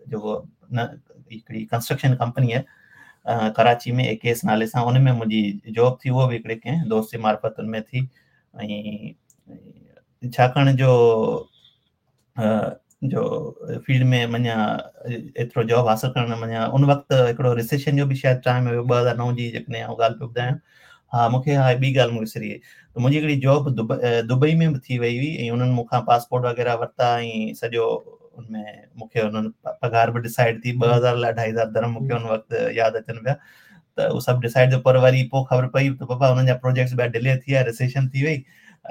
जेको न हिकिड़ी कंस्ट्रक्शन कंपनी आहे कराची में ए के एस नाले सां उन में मुंहिंजी जॉब थी उहो बि हिकिड़े कंहिं दोस्त जे मार्फ़त उन में थी ऐं छाकाणि जो جو فيلڊ ۾ معنيٰ ايترو جاب حاصل ڪرڻ معنيٰ ان وقت هڪڙو ريسيشن جو به شايد ٽائيم هيو ٻه هزار نو جي جيڪڏهن آئون ڳالهه پيو ٻڌايان. ها مون کي ها ٻي ڳالهه مون وسري وئي ته منهنجي هڪڙي جاب دبئي ۾ به ٿي وئي هئي ۽ انهن مون کان پاسپورٽ وغيره ورتا ۽ سڄو ان ۾ مون کي انهن پگهار به ڊسائيڊ ٿي ٻه هزار لاء اڍائي هزار درهم مون کي ان وقت ياد اچن پيا ته اهو سڀ ڊسائيڊ ٿيو. پر وري پوءِ خبر پئي ته بابا انهن جا پروجيڪٽس ٻيا ڊلي ٿي ويا، ريسيشن ٿي وئي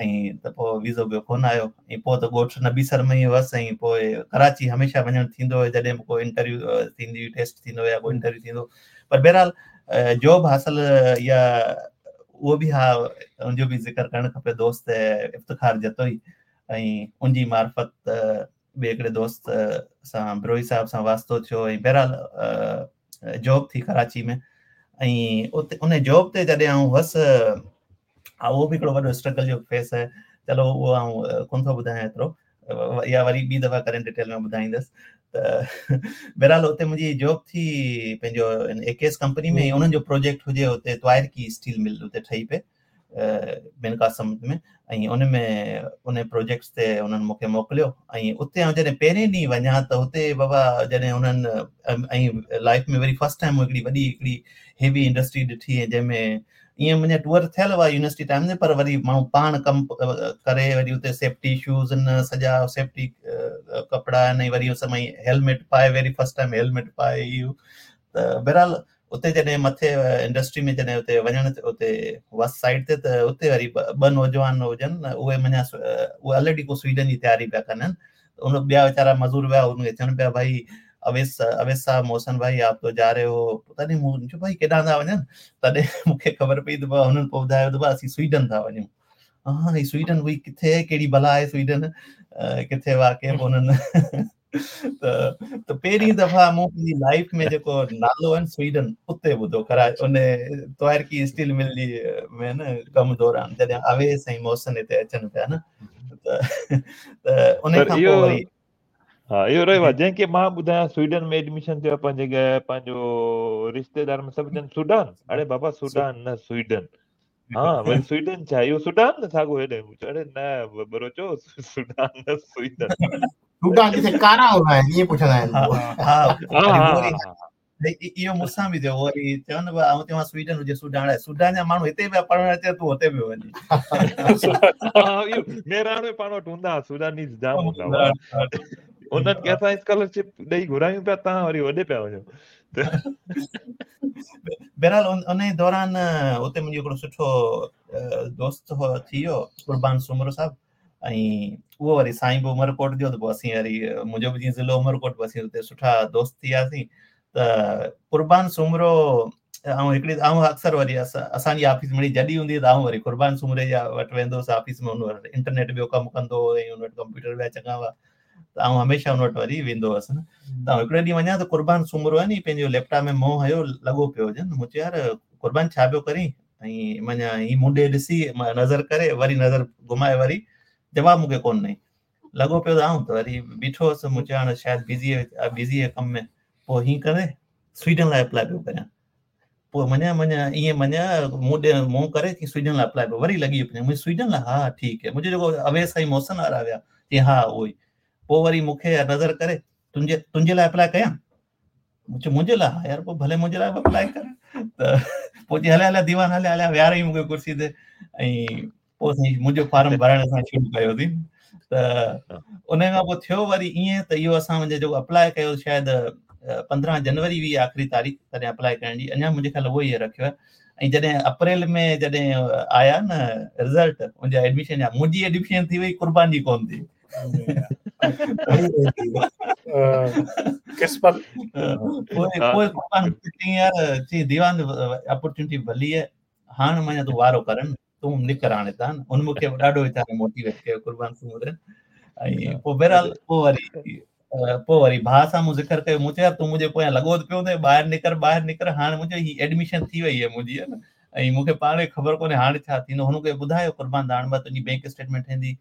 ۽ ته پوءِ ويزو ٻيو ڪونه آيو. ۽ پوءِ ته ڳوٺ نبي سر ۾ ئي هئس ۽ پوءِ ڪراچي هميشه وڃڻ ٿيندو هيو جڏهن به ڪو انٽرويو ٿيندي هئي، ٽيسٽ ٿيندو يا ڪو انٽرويو ٿيندو. پر بهرحال جاب حاصل يا اهو به ها ان جو به ذڪر ڪرڻ کپي. دوست افتخار جتوئي ۽ ان جي معرفت ٻئي هڪڙي دوست سان بروهي صاحب سان واسطو ٿيو ۽ بهرحال جاب ٿي ڪراچي ۾. ۽ اتي ان جاب تي جڏهن آئون هئس، اهو به هڪڙو وڏو اسٽرگل جو فيس آهي. چلو اهو آئون ڪونه ٿو ٻڌايان ايترو، يا وري ٻي دفعا ڪڏهن ڊٽيل ۾ ٻڌائيندس. ته بهرحال اتي منهنجي جاب ٿي پنهنجو اي ڪي ايس ڪمپني ۾ انهن جو پروجيڪٽ هجي اتي توائرڪي اسٽيل مل اتي ٺهي پئي بن قاسم ۾ ۽ ان ۾ ان پروجيڪٽس تي انهن مون کي موڪليو. ۽ اتي آئون جڏهن پهرين ڏينهن وڃان ته اتي بابا جڏهن انهن ۽ لائيف ۾ وري فرسٽ ٽائيم هڪڙي وڏي هڪڙي هيوي انڊسٽري ڏٺي جنهن ۾ ائين منهنجا ٽوئر ٿيل هئا يونيورسٽي ٽائيم تي، پر وري ماڻهو پاڻ ڪم ڪري وري اتي سيفٽي شوز آهن، سڄا سيفٽي ڪپڙا آهن ۽ وري سمي هيلميٽ پائي، وري فرسٽ ٽائيم هيلميٽ پائي اهو. ته بهرحال اتي جڏهن مٿي انڊسٽري ۾ جڏهن اتي وڃڻ اتي هئس سائيڊ تي، ته اتي وري ٻه نوجوان هجن، اهي معنيٰ اهي آلريڊي ڪو سوئيڊن جي تياري پيا ڪن. ان ٻيا ويچارا مزور ويا، ان کي چون پيا ڀائي اويس اويس صاحب محسن ڀائي آپ تو جا رهي هو. تڏهن مون چيو ڀائي ڪيڏانهن ٿا وڃن؟ تڏهن مون کي خبر پئي ته هنن پوءِ ٻڌايو ته اسين سوئيڊن ٿا وڃون. ها هي سوئيڊن هئي ڪٿي آهي، ڪهڙي ڀلا آهي سوئيڊن، ڪٿي واقعي؟ پوءِ هنن ته ته پهرين دفعا مون پنهنجي لائيف ۾ جيڪو نالو آهي سوئيڊن اتي ٻڌو کرا ان توائرڪي اسٽيل مل جي ۾ نه ڪم دوران جڏهن اويس ۽ محسن هتي اچن پيا نه، ته ته ان کان پوءِ وري ها اهو رهيو آهي. جنهن کي مان ٻڌايان سوئيڊن ۾ ايڊميشن ٿيو آهي پنهنجي پنهنجو رشتيدار ۾ سڀ چون سوڊان، اڙي بابا سوڊان نه سوئيڊن. ها وري سوئيڊن ڇا اهو سوڊان نه ساڳو هيڏي؟ اڙي نه ٻروچو سوڊان نه سوئيڊن. سوڊان جتي ڪارا هوندا آهن ائين پڇندا آهن. ها ها اهو مون سان به ٿيو. وري چون آئون چوان سوئيڊن هجي سوڊان، سوڊان جا ماڻهو هتي پيا پڙهڻ اچن، تون هتي پيو وڃين. اهو مهراڻ ۾ پاڻ وٽ هوندا هئا سوڊانيز جام هوندا هئا، انهن کي اسان اسڪالرشپ ڏيئي گهرايون پيا، توهان وري هوڏي پيا وڃو. بهرحال ان دوران اتي منهنجو هڪڙو سٺو دوست ٿي ويو قربان سومرو صاحب، ۽ اهو وري سائين به عمرڪوٽ جو، ته پوءِ اسين وري منهنجو به جيئن ضلعو عمرڪوٽ، پوءِ اسين اتي سٺا دوست ٿي وياسين. ته قربان سومرو ۽ هڪڙي آئون اڪثر وري اسان جي آفيس مڙئي جڏي هوندي ته آئون وري قربان سومري جا وٽ ويندو هئس آفيس ۾، هن وٽ انٽرنيٽ ٻيو ڪم ڪندو هو ۽ هن وٽ ڪمپيوٽر ٻيا چڱا هئا، ته آئون هميشه هن وٽ وري ويندو هئس نه. ته آئون هڪڙي ڏينهن وڃان ته قربان سومرو آهي ني پنهنجو ليپ ٽاپ ۾ منهن هيو لڳو پيو هجي. مون چيو يار قربان ڇا پيو ڪرين؟ ۽ معنيٰ هي مون ڏي ڏسي نظر ڪري وري نظر گهمائي وري جواب مون کي ڪونه ڏنئي، لڳو پيو ته آئون ته وري بيٺو هئس. مون چيو هاڻي شايد بزي بزي آهي ڪم ۾. پوءِ هيئن ڪري سوئيڊن لاءِ اپلائي پيو ڪريان. پوءِ مڃان مڃان ائين مڃان مون ڏي منهن ڪري سوئيڊن لاءِ اپلائي پيو وري لڳي ويو. منهنجي سوئيڊن لاءِ ها ٺيڪ آهي. منهنجو جيڪو اويس ۽ محسن وارا ويا چئي ها اهو ئي. پوءِ وري مون کي نظر ڪري تنهنجي تنهنجي لاءِ اپلائي ڪيان؟ مون چيو منهنجي لاءِ؟ ها يار پوءِ ڀلي منهنجي لاءِ به اپلائي ڪر. ته پوءِ چئي هليا هليا ديوان هليا هليا ويهاريئين مون کي ڪرسي تي ۽ پوءِ سائين منهنجو فارم ڀرڻ اسان شروع ڪيوسين. ته ان کان پوءِ ٿيو وري ائين ته اهو اسان منهنجو جيڪو اپلائي ڪيو شايد پندرهن جنوري هئي آخري تاريخ تڏهن اپلائي ڪرڻ جي، اڃا منهنجي خيال اهو ئي رکيو آهي. ۽ جڏهن اپريل ۾ جڏهن آيا نه رزلٽ منهنجا ايڊميشن جا، منهنجي ايڊميشن ٿي وئي قربان جي ڪونه ٿي. قسمت. پوءِ پوءِ قربان چئي يار چئي ديوان اپرچونٽي ڀلي آهي، هاڻي معنيٰ تون وارو ڪر نه، تون نڪر هاڻي هتان. هن مون کي ڏاڍو ويچاري موٽيويٽ ڪيو قربان سومري. ۽ پوءِ بهرحال پوءِ وري پوءِ وري ڀاءُ سان مون ذڪر ڪيو، مون چيو يار تون منهنجي پويان لڳو ته پيو هوندين، ٻاهر نڪر ٻاهر نڪر، هاڻي منهنجو هي ايڊميشن ٿي وئي آهي منهنجي نه، ۽ مون کي پاڻ کي خبر ڪونهي هاڻي ڇا ٿيندو. هن کي ٻڌايو قربان ته هاڻي مان تنهنجي بينڪ اسٽيٽمينٽ ٺهندي.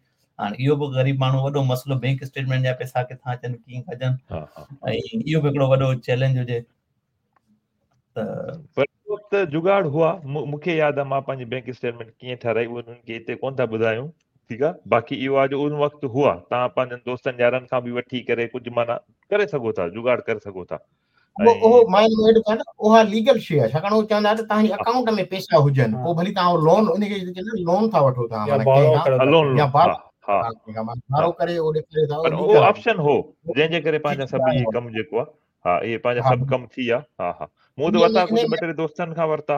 هاڻي اهو به غريب ماڻهو وڏو مسئلو، بينڪ اسٽيٽمينٽ جا پئسا ڪٿان اچن ڪيئن ڪجن، ۽ اهو به هڪڙو وڏو چئلينج هجي. ته پر وقت جگاڙ هئا. مون کي ياد آهي مان پنهنجي بينڪ اسٽيٽمينٽ ڪيئن ٺهرائي، اهو انهن کي هتي ڪونه ٿا ٻڌايون، ठीकु आहे। बाक़ी इहो आहे जो उन वक़्तु हुआ, तव्हां पंहिंजनि दोस्तनि यारनि खां बि वठी करे कुझु माना करे सघो था, जुगाड़ करे सघो था। उहो मां ऐड कयां त उहा लीगल शइ आहे, छाकाणि उहो चवंदा त तव्हांजे अकाउंट में पैसा हुजनि, पोइ भली तव्हां लोन उनखे चवंदा लोन था वठो तव्हां, माना लोन या हा हा बारो करे उहो ॾेखारे था, पर उहो ऑप्शन हो जंहिंजे करे पंहिंजा सभु इहे कमु जेको आहे, हा इहे पंहिंजा सभु कमु थी विया। हा हा मूं त वरिता कुझु ॿ टे दोस्तनि खां वरिता।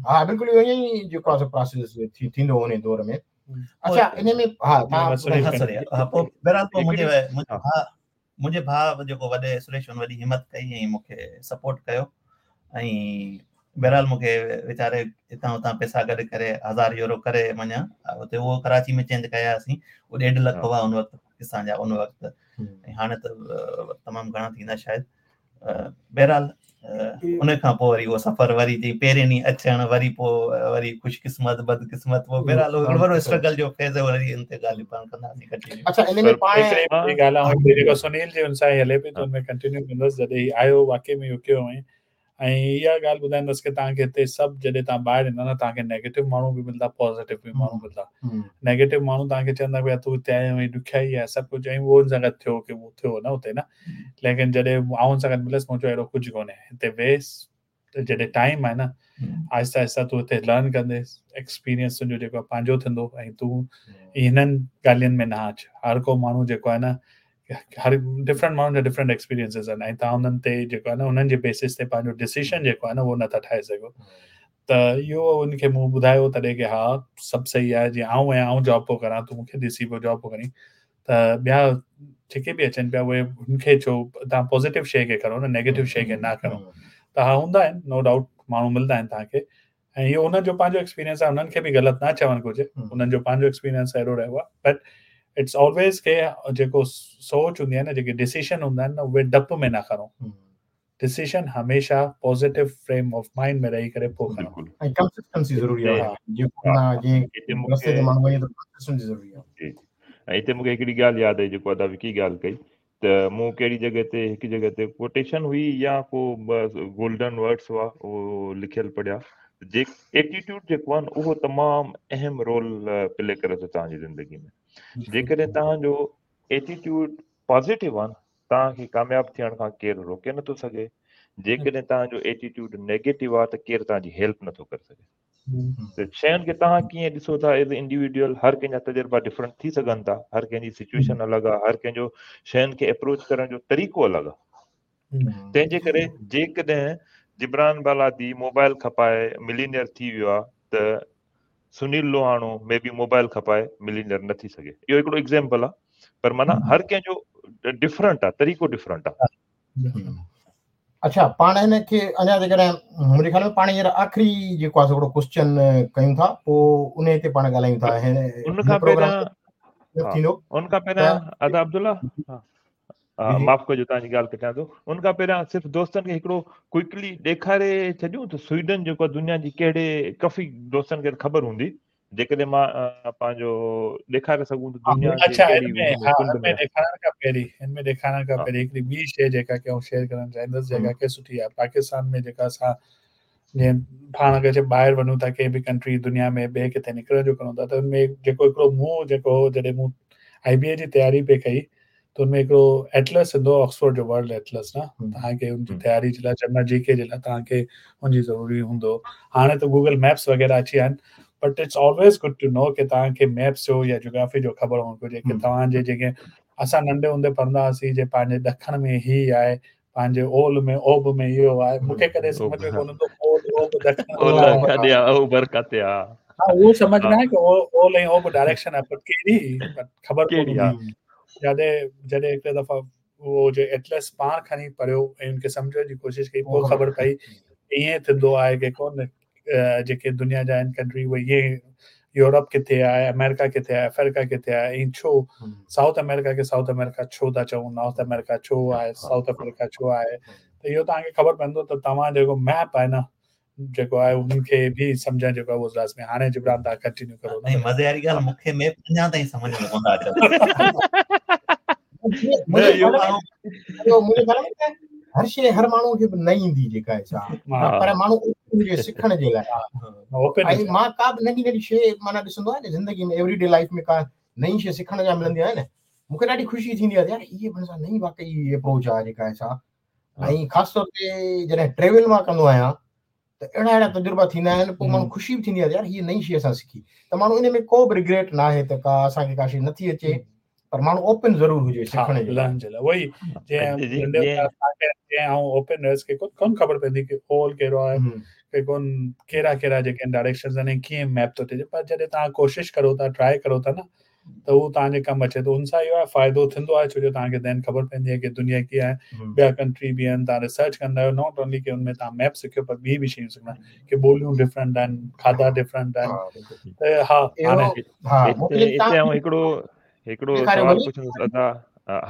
हा बिल्कुलु इहो ईअं ई जेको आहे प्रोसेस थींदो हुन दौर में। अच्छा इन में हा तव्हां हा पोइ बहरहाल पोइ मुंहिंजे भाउ मुंहिंजे भाउ जेको वॾे सुरेश हुन वॾी हिमत कई ऐं मूंखे सपोर्ट कयो ऐं बहरहाल मूंखे वीचारे हितां हुतां पैसा गॾु करे हज़ार यूरो करे मञा हुते उहो कराची में चेंज कयासीं, उहो ॾेढ लख हुआ उन वक़्तु पाकिस्तान जा उन वक़्तु, ऐं हाणे त तमामु घणा थींदा शायदि। बहरहाल उन खां पोइ वरी उहो सफ़र वरी चई पहिरें ॾींहुं अचणु वरी पोइ वरी ख़ुशकिस्मत बदकिस्मत पोइ बहरहाल हिकिड़ो वॾो स्ट्रगल जो फेज़ वरी इन ते ॻाल्हियूं पाण कंदासीं कंटिन्यू। अच्छा इन में पाण हिकिड़ी ॻाल्हि आहे जेको सुनील जी हुन सां हले पई त हुन में कंटिन्यू कंदुसि। जॾहिं आयो वाक़ई में इहो कयो हुअईं ऐं इहा ॻाल्हि ॿुधाईंदुसि की तव्हांखे हिते सभु जॾहिं तव्हां ॿाहिरि ईंदा न तव्हांखे नेगेटिव माण्हू बि मिलंदा, पॉज़िटिव बि माण्हू मिलंदा। नेगेटिव माण्हू तव्हांखे चवंदा भई तूं हिते आयो आहीं ॾुखियाई आहे सभु कुझु, ऐं उहो हुन सां गॾु थियो की उहो थियो न हुते न, लेकिन जॾहिं आउं हुन सां गॾु मिलियुसि मूं चयो अहिड़ो कुझु कोन्हे, हिते वेस जॾहिं टाइम आहे न आहिस्ता आहिस्ता तूं हिते लर्न कंदेसि, एक्सपीरियंस तुंहिंजो जेको आहे पंहिंजो थींदो ऐं तूं हिननि ॻाल्हियुनि में न अच। हर को माण्हू जेको आहे न हर डिफरेंट माण्हुनि जा डिफरेंट एक्सपीरियंसिस आहिनि ऐं तव्हां हुननि ते जेको आहे न हुननि जे बेसिस ते पंहिंजो डिसीजन जेको आहे न उहो नथा ठाहे सघो। त इहो हुनखे मूं ॿुधायो तॾहिं की हा सभु सही आहे, जीअं आउं आहियाँ आउं जॉब पियो करां, तूं मूंखे ॾिसी पियो जॉब पियो करीं, त ॿिया जेके बि अचनि पिया उहे हुनखे छो तव्हां पॉज़िटिव शइ खे खणो न नेगेटिव शइ खे न खणो। त हा हूंदा आहिनि नो डाउट माण्हू मिलंदा आहिनि तव्हांखे ऐं इहो हुननि जो पंहिंजो एक्सपीरियंस आहे, हुननि खे बि ग़लति न चवणु घुरिजे, हुननि जो पंहिंजो एक्सपीरियंस अहिड़ो रहियो आहे। बट it's always के जेको सोच हूंदी आहे न जेके डिसीजन हूंदा आहिनि न उहे डप में न खणो, डिसीजन हमेशा पॉज़िटिव फ्रेम ऑफ माइंड में रही करे पोइ खणो ऐं कंसिस्टेंसी ज़रूरी आहे, जेको जंहिं रस्ते ते माण्हू वञे थो कंसिस्टेंसी ज़रूरी आहे। जी ऐं हिते मूंखे हिकिड़ी ॻाल्हि यादि आई जेको अदा विकी ॻाल्हि कई त मूं कहिड़ी जॻह ते हिकु जॻह ते कोटेशन हुई या को गोल्डन वर्ड्स हुआ उहो लिखियलु पढ़िया, जे एटीट्यूड जेको आहे न उहो तमामु अहम रोल प्ले करे थो तव्हांजी ज़िंदगी में। जेकॾहिं तव्हांजो एटीट्यूड पॉज़िटिव आहे न तव्हांखे कामयाबु थियण खां केरु रोके नथो सघे, जेकॾहिं तव्हांजो एटीट्यूड नेगेटिव आहे त केरु तव्हांजी हेल्प नथो करे सघे। त शयुनि खे तव्हां कीअं ॾिसो था एज़ इंडिविजुअल, हर कंहिंजा तजुर्बा डिफरेंट थी सघनि था, हर कंहिंजी सिचुएशन अलॻि आहे, हर कंहिंजो शयुनि खे अप्रोच करण जो तरीक़ो अलॻि आहे। तंहिंजे करे जेकॾहिं जिब्रान बालादी मोबाइल खपाए मिलीनियर थी वियो आहे त सुनील लोहाणो मे बि मोबाइल खपाए मिलीनियर न थी सघे। इहो हिकिड़ो एग्ज़ाम्पल आहे, पर माना हर कंहिंजो डिफरेंट आहे, तरीक़ो डिफरेंट आहे। अच्छा पाण हिनखे अञा जेकॾहिं मुंहिंजे ख़्याल में पाण हींअर आख़िरी जेको आहे हिकिड़ो क्वेश्चन कयूं था पोइ उन ते पाण ॻाल्हायूं था। उन खां पहिरियां थींदो उन खां पहिरियां अदा अब्दुल्ला माफ़ कजो तव्हांजी ॻाल्हि कटियां थो, उन खां पहिरियां सिर्फ़ु दोस्तनि खे हिकिड़ो क्विकली ॾेखारे छॾियूं त स्वीडन जेको आहे दुनिया जी कहिड़े काफ़ी दोस्तनि खे ख़बर हूंदी, जेकॾहिं मां पंहिंजो ॾेखारे सघूं त दुनिया अच्छा हिन में हा हिन में ॾेखारण खां पहिरीं हिन में ॾेखारण खां पहिरीं हिकिड़ी ॿी शइ जेका की आउं शेयर करणु चाहींदुसि जेका की सुठी आहे। पाकिस्तान में जेका असां जीअं पाण अगरि ॿाहिरि वञूं था कंहिं बि कंट्री दुनिया में ॿिए किथे निकिरण जो करूं था त हुन में जेको हिकिड़ो मूं जेको हो जॾहिं मूं आई बी ए जी तयारी पई कई त हुन में हिकिड़ो एटलस ईंदो ऑक्सफोर्ड जो वर्ल्ड एटलस न, तव्हांखे हुनजी तयारी जे लाइ जनरल जी के जे लाइ तव्हांखे हुनजी ज़रूरी हूंदो। हाणे त गूगल मैप्स वग़ैरह अची विया आहिनि, but it's always good to know की तव्हांखे मैप्स जो या जियोग्राफी जो ख़बर हुअणु घुरिजे की तव्हांजे जेके असां नंढे हूंदे पढ़ंदा हुआसीं जे पंहिंजे ॾखण में ही आहे, पंहिंजे ओल में ओब में इहो आहे, मूंखे कॾहिं सम्झ में कोन ईंदो ओल ओब ॾखण हा उहो सम्झ में आहे की ओल ऐं ओब डायरेक्शन आहे, पर कहिड़ी ख़बर कोन हूंदी। जॾहिं जॾहिं हिकिड़े दफ़ा उहो जो एटलस पाण खणी पढ़ियो ऐं हुनखे सम्झण जी कोशिशि कई पोइ ख़बर पई ईअं थींदो आहे की कोन जेके दुनिया जा आहिनि कंट्री उहे ईअं यूरोप किथे आहे, अमेरिका किथे आहे, अफ्रीका किथे आहे ऐं छो साउथ अमेरिका खे साउथ अमेरिका छो था चऊं, नॉर्थ अमेरिका छो आहे, साउथ अफ्रीका छो आहे। त इहो तव्हांखे ख़बर पवंदो त तव्हां जेको मैप आहे न जेको आहे उनखे बि सम्झणु जेको आहे उहो लाज़मी। हाणे जिब्रान तव्हां कंटिन्यू करो। ऐं मज़े वारी ॻाल्हि मूंखे मैप अञा ताईं सम्झ में कोन था अचनि। हर शइ हर माण्हूअ खे न ईंदी जेका आहे सा, पर माण्हू هجي سکڻ جي لاءِ. ۽ مان ڪا به ننڍي ننڍي شيءِ معنيٰ ڏسندو آهيان نه زندگي ۾ ايوري ڊي لائيف ۾ ڪا نئين شيءِ سکڻ جا ملندي آهي نه، مون کي ڏاڍي خوشي ٿيندي آهي يار هيءَ به سان نئين واقعي اپروچ آهي جيڪا آهي سا. ۽ خاص طور تي جڏهن ٽريول مان ڪندو آهيان ته اهڙا اهڙا تجربا ٿيندا آهن، پوءِ ماڻهو خوشي به ٿيندي آهي يار هيءَ نئين شيءِ اسان سکي. ته ماڻهو ان ۾ ڪو به رگريٽ نه آهي ته ڪا اسان کي ڪا شيءِ نٿي اچي، پر ماڻهو اوپن ضرور هجي سکڻ جي لاءِ. جي لاءِ اهو ئي جيئن آئون اوپن هيس ڪه ڪونه خبر پوندي ڪه هول ڪهڙو آهي، ڪه ڪونه ڪهڙا ڪهڙا جيڪي آهن ڊائريڪشنس آهن ڪيئن ميپ ٿو ٿئي. پر جڏهن توهان ڪوشش ڪرو ٿا، ٽرائي ڪرو ٿا نه، ته اهو توهان جي ڪم اچي ٿو. هن سان اهو آهي فائدو ٿيندو آهي، ڇو جو توهان کي دين خبر پوندي آهي ڪه دنيا ڪيئن آهي، ٻيا ڪنٽري به آهن، توهان ريسرچ ڪندا آهيو. Not only ڪه هن ۾ توهان ميپ سکيو، پر ٻي به شيون سکندا ڪه ٻوليون ڊفرنٽ آهن، کاڌا ڊفرنٽ آهن. ته ها هاڻي هتي آئون هڪڙو هڪڙو سوال پڇندس ادا.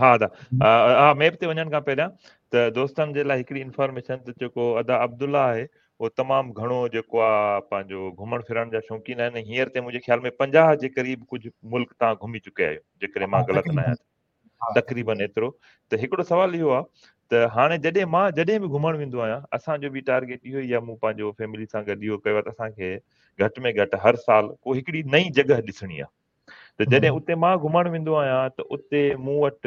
ها ادا، ها ميپ تي وڃڻ کان پهريان ته دوستن جي لاءِ هڪڙي انفارميشن ته جيڪو ادا عبدالله آهي اهو تمام گهڻو جيڪو آهي پنهنجو گهمڻ ڦرڻ جا شوقين آهن. هينئر تائين منهنجي خيال ۾ پنجاهه جي قريب ڪجهه ملڪ توهان گهمي چڪيا آهيو، جيڪڏهن مان غلط نه آهيان تقريبن ايترو. ته هڪڙو سوال اهو آهي ته هاڻي جڏهن مان جڏهن به گهمڻ ويندو آهيان، اسان جو به ٽارگيٽ اهو ئي آهي، مون پنهنجو فيملي سان گڏ اهو ڪيو آهي ته اسان کي گهٽ ۾ گهٽ هر سال ڪو هڪڙي نئين جڳهه ڏسڻي آهي. ته جڏهن اتي مان گهمڻ ويندو آهيان ته اتي مون وٽ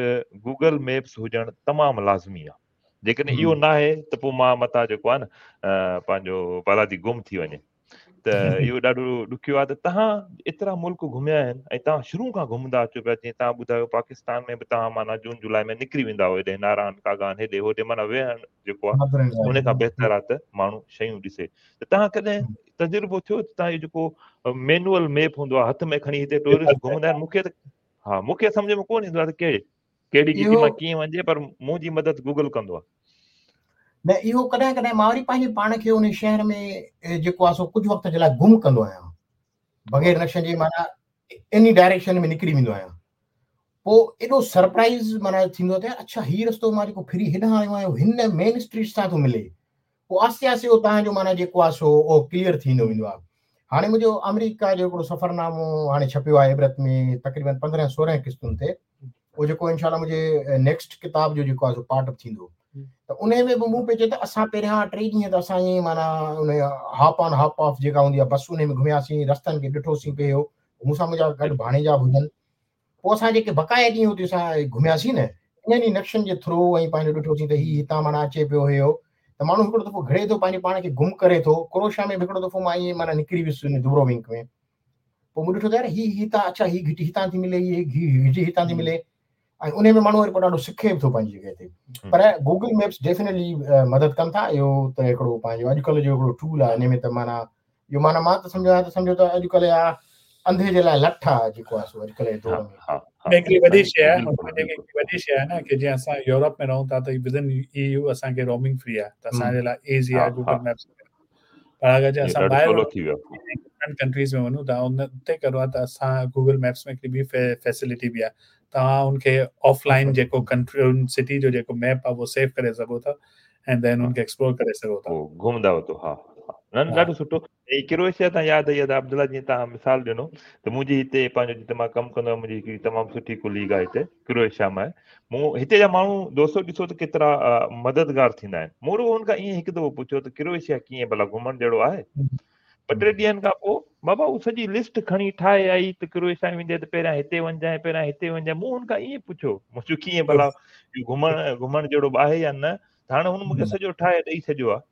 گوگل ميپس هجڻ تمام لازمي آهي. جيڪڏهن اهو نه آهي ته پوءِ مان مٿان جيڪو آهي نه پنهنجو بالادي گم ٿي وڃي، ته اهو ڏاڍو ڏکيو آهي. ته توهان ايترا ملڪ گهميا آهن ۽ توهان شروع کان گهمندا اچو پيا، جيئن توهان ٻڌايو پاڪستان ۾ به توهان معنيٰ جون جولاءِ ۾ نڪري ويندا هئو هيڏي ناران ڪاغان هيڏي هوڏي، معنيٰ ويهڻ جيڪو آهي ان کان بهتر آهي ته ماڻهو شيون ڏسي. ته توهان ڪڏهن تجربو ٿيو ته توهان اهو جيڪو مينوئل ميپ هوندو آهي هٿ ۾ کڻي هتي ٽوئرسٽ گهمندا آهن، مون کي ته ها مون کي سمجهه ۾ ڪونه ايندو آهي ته ڪهڙي ڪهڙي گهٽي مان ڪيئن وڃجي، پر منهنجي مدد گوگل ڪندو آهي. نه اهو ڪڏهن ڪڏهن مان وري پنهنجي پاڻ کي ان شهر ۾ جيڪو آهي سو ڪجهه وقت جي لاءِ گم ڪندو آهيان، بغير نقشن جي، معنيٰ ايني ڊائريڪشن ۾ نڪري ويندو آهيان. پوءِ ايڏو سرپرائيز معنيٰ ٿيندو آهي ته اڇا هيءُ رستو مان جيڪو ڦري هيڏانهن آيو آهيان هن مين اسٽريٽ سان ٿو ملي. پوءِ آهستي آهستي اهو توهان جو معنيٰ جيڪو آهي سو اهو ڪليئر ٿيندو ويندو آهي. هاڻي منهنجو آمريڪا جو هڪڙو سفرنامو هاڻي ڇپيو آهي عبرت ۾ تقريبن پندرهن سورهن قسطن تي، اهو جيڪو انشا الله منهنجي نيڪسٽ ڪتاب جو جيڪو آهي سو پارٽ ٿيندو. ته ان ۾ به مون پئي چيو ته اسان پهريان ٽي ڏينهن ته اسان ائين معنيٰ ان هاپ آن هاپ آف جيڪا هوندي آهي بس ان ۾ گهمياسين، رستن کي ڏٺوسين پيو، مون سان منهنجا گڏ ڀاڻيجا به هجن. پوءِ اسان جيڪي بقايا ڏينهن هتي اسان گهمياسين نه، انهن ئي نقشن جي ٿرو ۽ پنهنجو ڏٺوسين ته هيءُ هتان معنيٰ اچي پيو هيو. ته ماڻهو هڪڙو دفعو گهڙي ٿو پنهنجي پاڻ کي گم ڪري ٿو. ڪروشيا ۾ به هڪڙو دفعو مان ائين معنيٰ نڪري ويس ڊبروونڪ ۾، پوءِ مون ڏٺو ته يار هيءُ هتان اڇا هيءُ گهٽي هتان ٿي ملي، هيءَ گهٽي هتان ٿي ملي، ۽ ان ۾ ماڻهو وري پوءِ ڏاڍو سکي به ٿو پنهنجي جڳهه تي. پر گوگل ميپس ڊيفينيٽلي مدد ڪن ٿا. اهو ته هڪڙو پنهنجو اڄڪلهه جو هڪڙو ٽول آهي. ان ۾ ته معنيٰ اهو معنيٰ مان ته سمجهو آهيان ته سمجهو ته اڄڪلهه اها انڌي جي لاءِ لٺ آهي جيڪو آهي سو اڄڪلهه جي دور ۾. هڪڙي وڏي شيءِ آهي، وڏي شيءِ آهي نه ڪه جيئن اسان يورپ ۾ رهون ٿا ته ود ان اي يو اسان کي رومنگ فري آهي، ته اسان جي لاءِ ايزي آهي گوگل ميپس. پر اگر جي اسان ٻاهر ڊفرنٽ ڪنٽريز ۾ وڃون ٿا ان تي ڪرو آهي ته اسان گوگل ميپس ۾ هڪڙي ٻي فيسلٽي به آهي، توهان ان کي آفلائن جيڪو ڪنٽري سٽي جو جيڪو ميپ آهي اهو سيو ڪري سگهو ٿا ۽ دين ان کي ايڪسپلور ڪري سگهو ٿا، گهمندا وتو. ها نه نه ڏاڍو سٺو. ۽ ڪروئيشيا تان ياد آئي ادا عبدالله، جيئن توهان مثال ڏنو ته منهنجي هتي پنهنجو جتي مان ڪم ڪندو آهيان منهنجي هڪڙي تمام سٺي ڪليگ آهي هتي ڪروئيشيا مان آهي. مون هتي جا ماڻهو دوستو ڏسو ته ڪيترا مددگار ٿيندا آهن. مون رڳو هن کان ائين هڪ دفعو پڇيو ته ڪروئيشيا ڪيئن ڀلا گهمڻ جهڙو آهي؟ ٻه ٽي ڏينهن کان پوءِ بابا هو سڄي لسٽ کڻي ٺاهي آئي ته ڪروئيشيا ويندي ته پهريان هتي وڃجانءِ پهريان هتي وڃجانءِ. مون هن کان ائين پڇيو، مون چيو ڪيئن ڀلا گهمڻ گهمڻ جهڙو به آهي يا نه؟ ته هاڻي هن مون کي سڄو ٺاهي ڏيئي ڇڏيو آهي.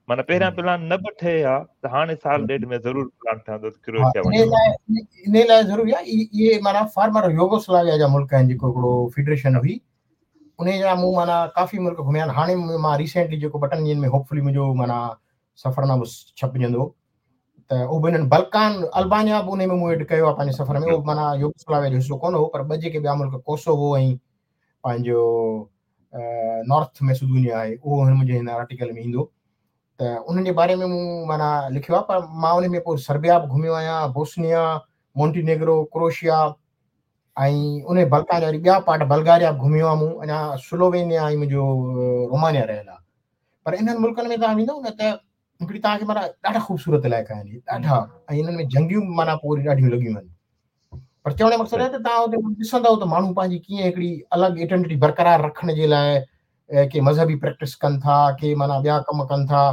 معنيٰ پهريان پلان نه به ٺهي ها ته هاڻي سال ڏيڍ ۾ ضرور پلان ٺهندو ته ڪروئيشيا وڃڻ. ان لاءِ ضروري آهي. اهي معنيٰ فارمر يوگوسلاويا جا ملڪ آهن، جيڪو هڪڙو فيڊريشن هئي ان جا مون معنيٰ ڪافي ملڪ گهميا آهن. هاڻي مان ريسينٽلي جيڪو ٻه ٽن ڏينهن ۾ هوپفلي منهنجو معنيٰ سفرنامو ڇپجندو ته اهو به هنن بلڪان البانيا به ان ۾ مون ايڊ ڪيو آهي پنهنجي سفر ۾. اهو معنيٰ يوگوسلاويا جو حصو ڪونه هو، پر ٻه جيڪي ٻيا ملڪ ڪوسوو ۽ پنهنجو نارٿ ميسيڊونيا آهي اهو هن منهنجي هن آرٽيڪل ۾ ايندو. ته انهن جي باري ۾ مون معنيٰ لکيو آهي. پر مان ان ۾ پوءِ سربيا به گهميو آهيان، بوسنيا، مونٽينيگرو، ڪروشيا ۽ ان بلڪان جا وري ٻيا پارٽ بلگاريا به گهميو آهي مون. اڃا سلووينيا ۽ منهنجو رومانيا رهيل آهي. پر انهن ملڪن ۾ توهان ويندؤ نه ته هڪڙي توهان کي معنيٰ ڏاڍا خوبصورت علائقا آهن ڏاڍا، ۽ انهن ۾ جنگيون معنيٰ پوءِ وري ڏاڍيون لڳيون آهن. پر چوڻ جو مقصد آهي ته توهان اتي ڏسندؤ ته ماڻهو پنهنجي ڪيئن هڪڙي الڳ آئيڊينٽٽي برقرار رکڻ جي لاءِ ڪي مذهبي پريڪٽس ڪن ٿا، ڪي معنيٰ ٻيا ڪم ڪن ٿا.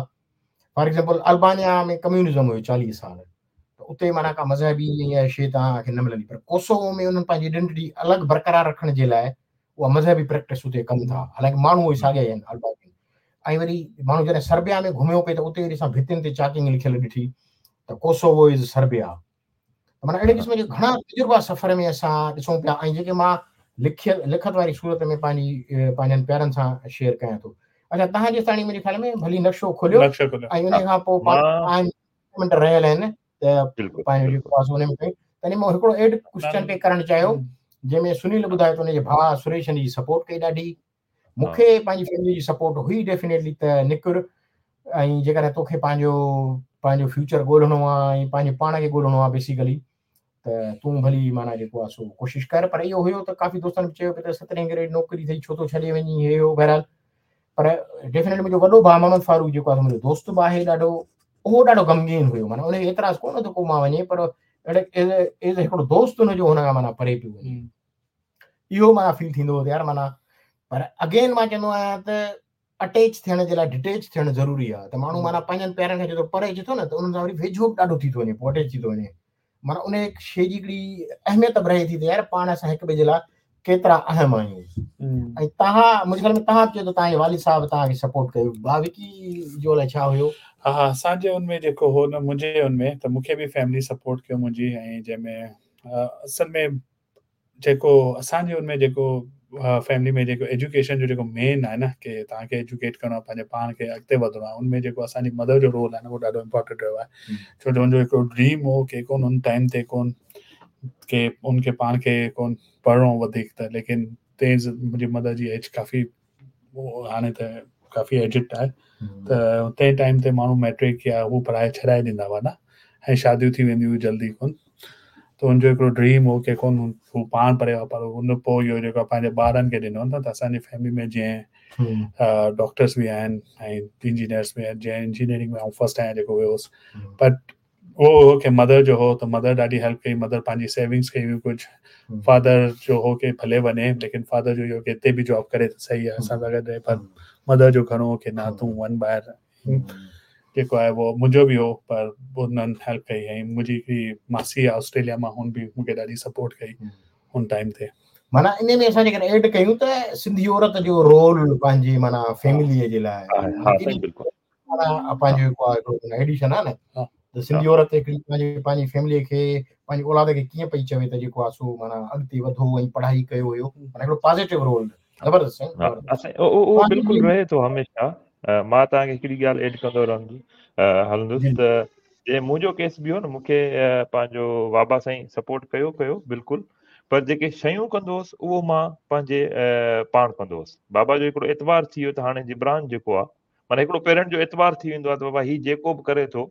فار एग्जांपल अल्बानिया में कम्युनिज़म हुयो चालीह साल, त उते माना का मज़हबी इहा शइ तव्हांखे न मिलंदी, पर कोसोवो में उन्हनि पंहिंजी आइडेंटिटी अलॻि बरक़रार रखण जे लाइ उहा मज़हबी प्रैक्टिस उते कनि था, हालांकि माण्हू उहे साॻिया आहिनि अल्बानियन। ऐं वरी माण्हू जॾहिं सर्बिया में घुमियो पई त उते वरी असां भितियुनि ते चाकिंग लिखियल ॾिठी त कोसोवो is Serbia. माना अहिड़े क़िस्म जा घणा तजुर्बा सफ़र में असां ॾिसूं पिया ऐं जेके मां लिखियल लिखत वारी सूरत में पंहिंजी पंहिंजनि प्यारनि सां शेयर कयां थो। अच्छा, तव्हां जे ताणी मुंहिंजे ख़्याल में भली नक्शो खोलियो ऐं उन खां पोइ पाँच मिंट रहियल आहिनि त पंहिंजो जेको आहे उन में तॾहिं मां हिकिड़ो एड क्वेश्चन पे करणु चाहियो, जंहिंमें सुनील ॿुधायो त हुनजे भाउ सुरेश जी सपोर्ट कई ॾाढी, मूंखे पंहिंजी फैमिली जी सपोर्ट हुई डेफिनेटली त निकिर, ऐं जेकॾहिं तोखे पंहिंजो पंहिंजो फ्यूचर ॻोल्हिणो आहे ऐं पंहिंजे पाण खे ॻोल्हिणो आहे बेसिकली त तूं भली माना जेको आहे सो कोशिशि कर। पर इहो हुयो त काफ़ी दोस्तनि चयो त सतरहें ग्रेड नौकिरी अथई, छो थो छॾे वञी हे हो, बहरहाल। पर डेफिनेटली मुंहिंजो वॾो भाउ मोहम्मद फारूक जेको आहे मुंहिंजो दोस्त बि आहे ॾाढो, उहो ॾाढो ग़मगीन हुयो, माना उनखे एतिराज़ कोन थो को मां वञे, पर अहिड़े एज हिकिड़ो दोस्त हुनजो हुन खां माना परे पियो वञे, इहो माना फील थींदो हो यार माना। पर अगेन मां चवंदो आहियां त अटैच थियण जे लाइ डिटेच थियणु ज़रूरी आहे, त माण्हू माना पंहिंजनि प्यारनि खां जेतिरो परे अचे थो न त उन्हनि सां वरी वेझो बि ॾाढो थी थो वञे, पोइ अटैच थी थो वञे, माना उन शइ जी हिकिड़ी अहमियत बि रहे थी त यार पाण असां हिक ॿिए जे लाइ केतिरा अहम आहियूं। ऐं तव्हां मुंहिंजे ख़्याल में तव्हां चयो त तव्हांजे वालिद साहिब तव्हांखे सपोर्ट कयो, भाउ विकी जो अलाए छा हुयो? हा हा, असांजे उन में जेको हो न, मुंहिंजे उन में त मूंखे बि फैमिली सपोर्ट कयो मुंहिंजी, ऐं जंहिंमें असल में जेको असांजे उन में जेको फैमिली में जेको एजुकेशन जो जेको मेन आहे न की तव्हांखे एजुकेट करिणो आहे, पंहिंजे पाण खे अॻिते वधणो आहे, उन में जेको असांजी मदर जो रोल आहे न उहो ॾाढो इम्पोर्टेंट रहियो आहे। छो जो हुनजो हिकिड़ो ड्रीम हो की कोन हुन टाइम ते कोन की उनखे पाण खे कोन पढ़िणो वधीक त, लेकिन तेज़ मुंहिंजी मदर जी एज काफ़ी हाणे त काफ़ी एजिड आहे, त तंहिं टाइम ते माण्हू मैट्रिक या हू पढ़ाए छॾाए ॾींदा हुआ न, ऐं शादियूं थी वेंदियूं हुयूं जल्दी कोन, त हुनजो हिकिड़ो ड्रीम हो की कोन हू पाण पढ़ियो आहे, पर हुन पोइ इहो जेको पंहिंजे ॿारनि खे ॾिनो न। त असांजी फैमिली में जीअं डॉक्टर्स बि आहिनि ऐं इंजीनियर्स बि आहिनि, जीअं इंजीनियरिंग में आउं फर्स्ट आहियाँ जेको वियो हुउसि, बट उहो हो की मदर जो हो त मदर ॾाढी हेल्प कई, मदर पंहिंजी सेविंग्स कई हुई कुझु, फादर जो हो की भले वञे, लेकिन फादर जो इहो की हिते बि जॉब करे त सही आहे असां सां गॾु रहे, पर मदर जो घणो हो की न तूं वञ ॿाहिरि, जेको आहे उहो मुंहिंजो बि हो, पर हुननि हेल्प कई। ऐं मुंहिंजी हिकिड़ी मासी आहे ऑस्ट्रेलिया मां, हुन बि मूंखे ॾाढी सपोर्ट कई हुन टाइम ते। माना इन में असां जेकॾहिं एड कयूं त सिंधी औरत जो रोल पंहिंजी माना फैमिलीअ जे लाइ माना पंहिंजो हिकिड़ो एडिशन आहे न, त सिंधी औरत हिकिड़ी पंहिंजी पंहिंजी फैमिलीअ खे पंहिंजी औलाद खे कीअं पई चवे त जेको आहे सो माना अॻिते वधो ऐं पढ़ाई कयो हुयो, माना हिकिड़ो पॉज़िटिव रोल ज़बरदस्त। उहो बिल्कुलु रहे थो हमेशह। मां तव्हांखे हिकिड़ी ॻाल्हि एड कंदो रहंदुसि हलंदुसि त जे मुंहिंजो केस बि हो न, मूंखे पंहिंजो बाबा साईं सपोर्ट कयो कयो बिल्कुलु, पर जेके शयूं कंदो हुउसि उहो मां पंहिंजे पाण कंदो हुउसि। बाबा जो हिकिड़ो एतबार थी वियो त हाणे जिब्रान जेको आहे, माना हिकिड़ो पेरेंट जो एतबार थी वेंदो आहे त बाबा हीउ जेको बि करे थो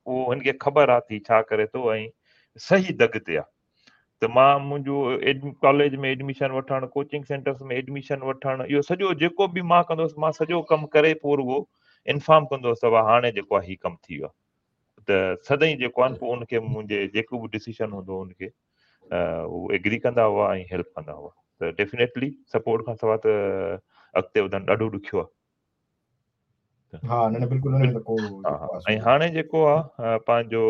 उहो हुनखे ख़बर आहे त हीउ छा करे थो ऐं सही दग ते आहे। त मां मुंहिंजो कॉलेज में एडमिशन वठणु, कोचिंग सेंटर्स में एडमिशन वठणु, इहो सॼो जेको बि मां कंदो हुउसि, मां सॼो कमु करे पोइ रुॻो इन्फॉर्म कंदो हुउसि त हाणे जेको आहे हीउ कमु थी वियो आहे। त सदाईं जेको आहे पोइ उनखे मुंहिंजे जेको बि डिसीजन हूंदो हो उनखे उहो एग्री कंदा हुआ ऐं हेल्प कंदा हुआ। त डेफिनेटली सपोर्ट खां सवाइ त अॻिते वधणु ॾाढो ॾुखियो आहे। हा, न न बिल्कुलु हुन में त को ऐं हाणे जेको आहे पंहिंजो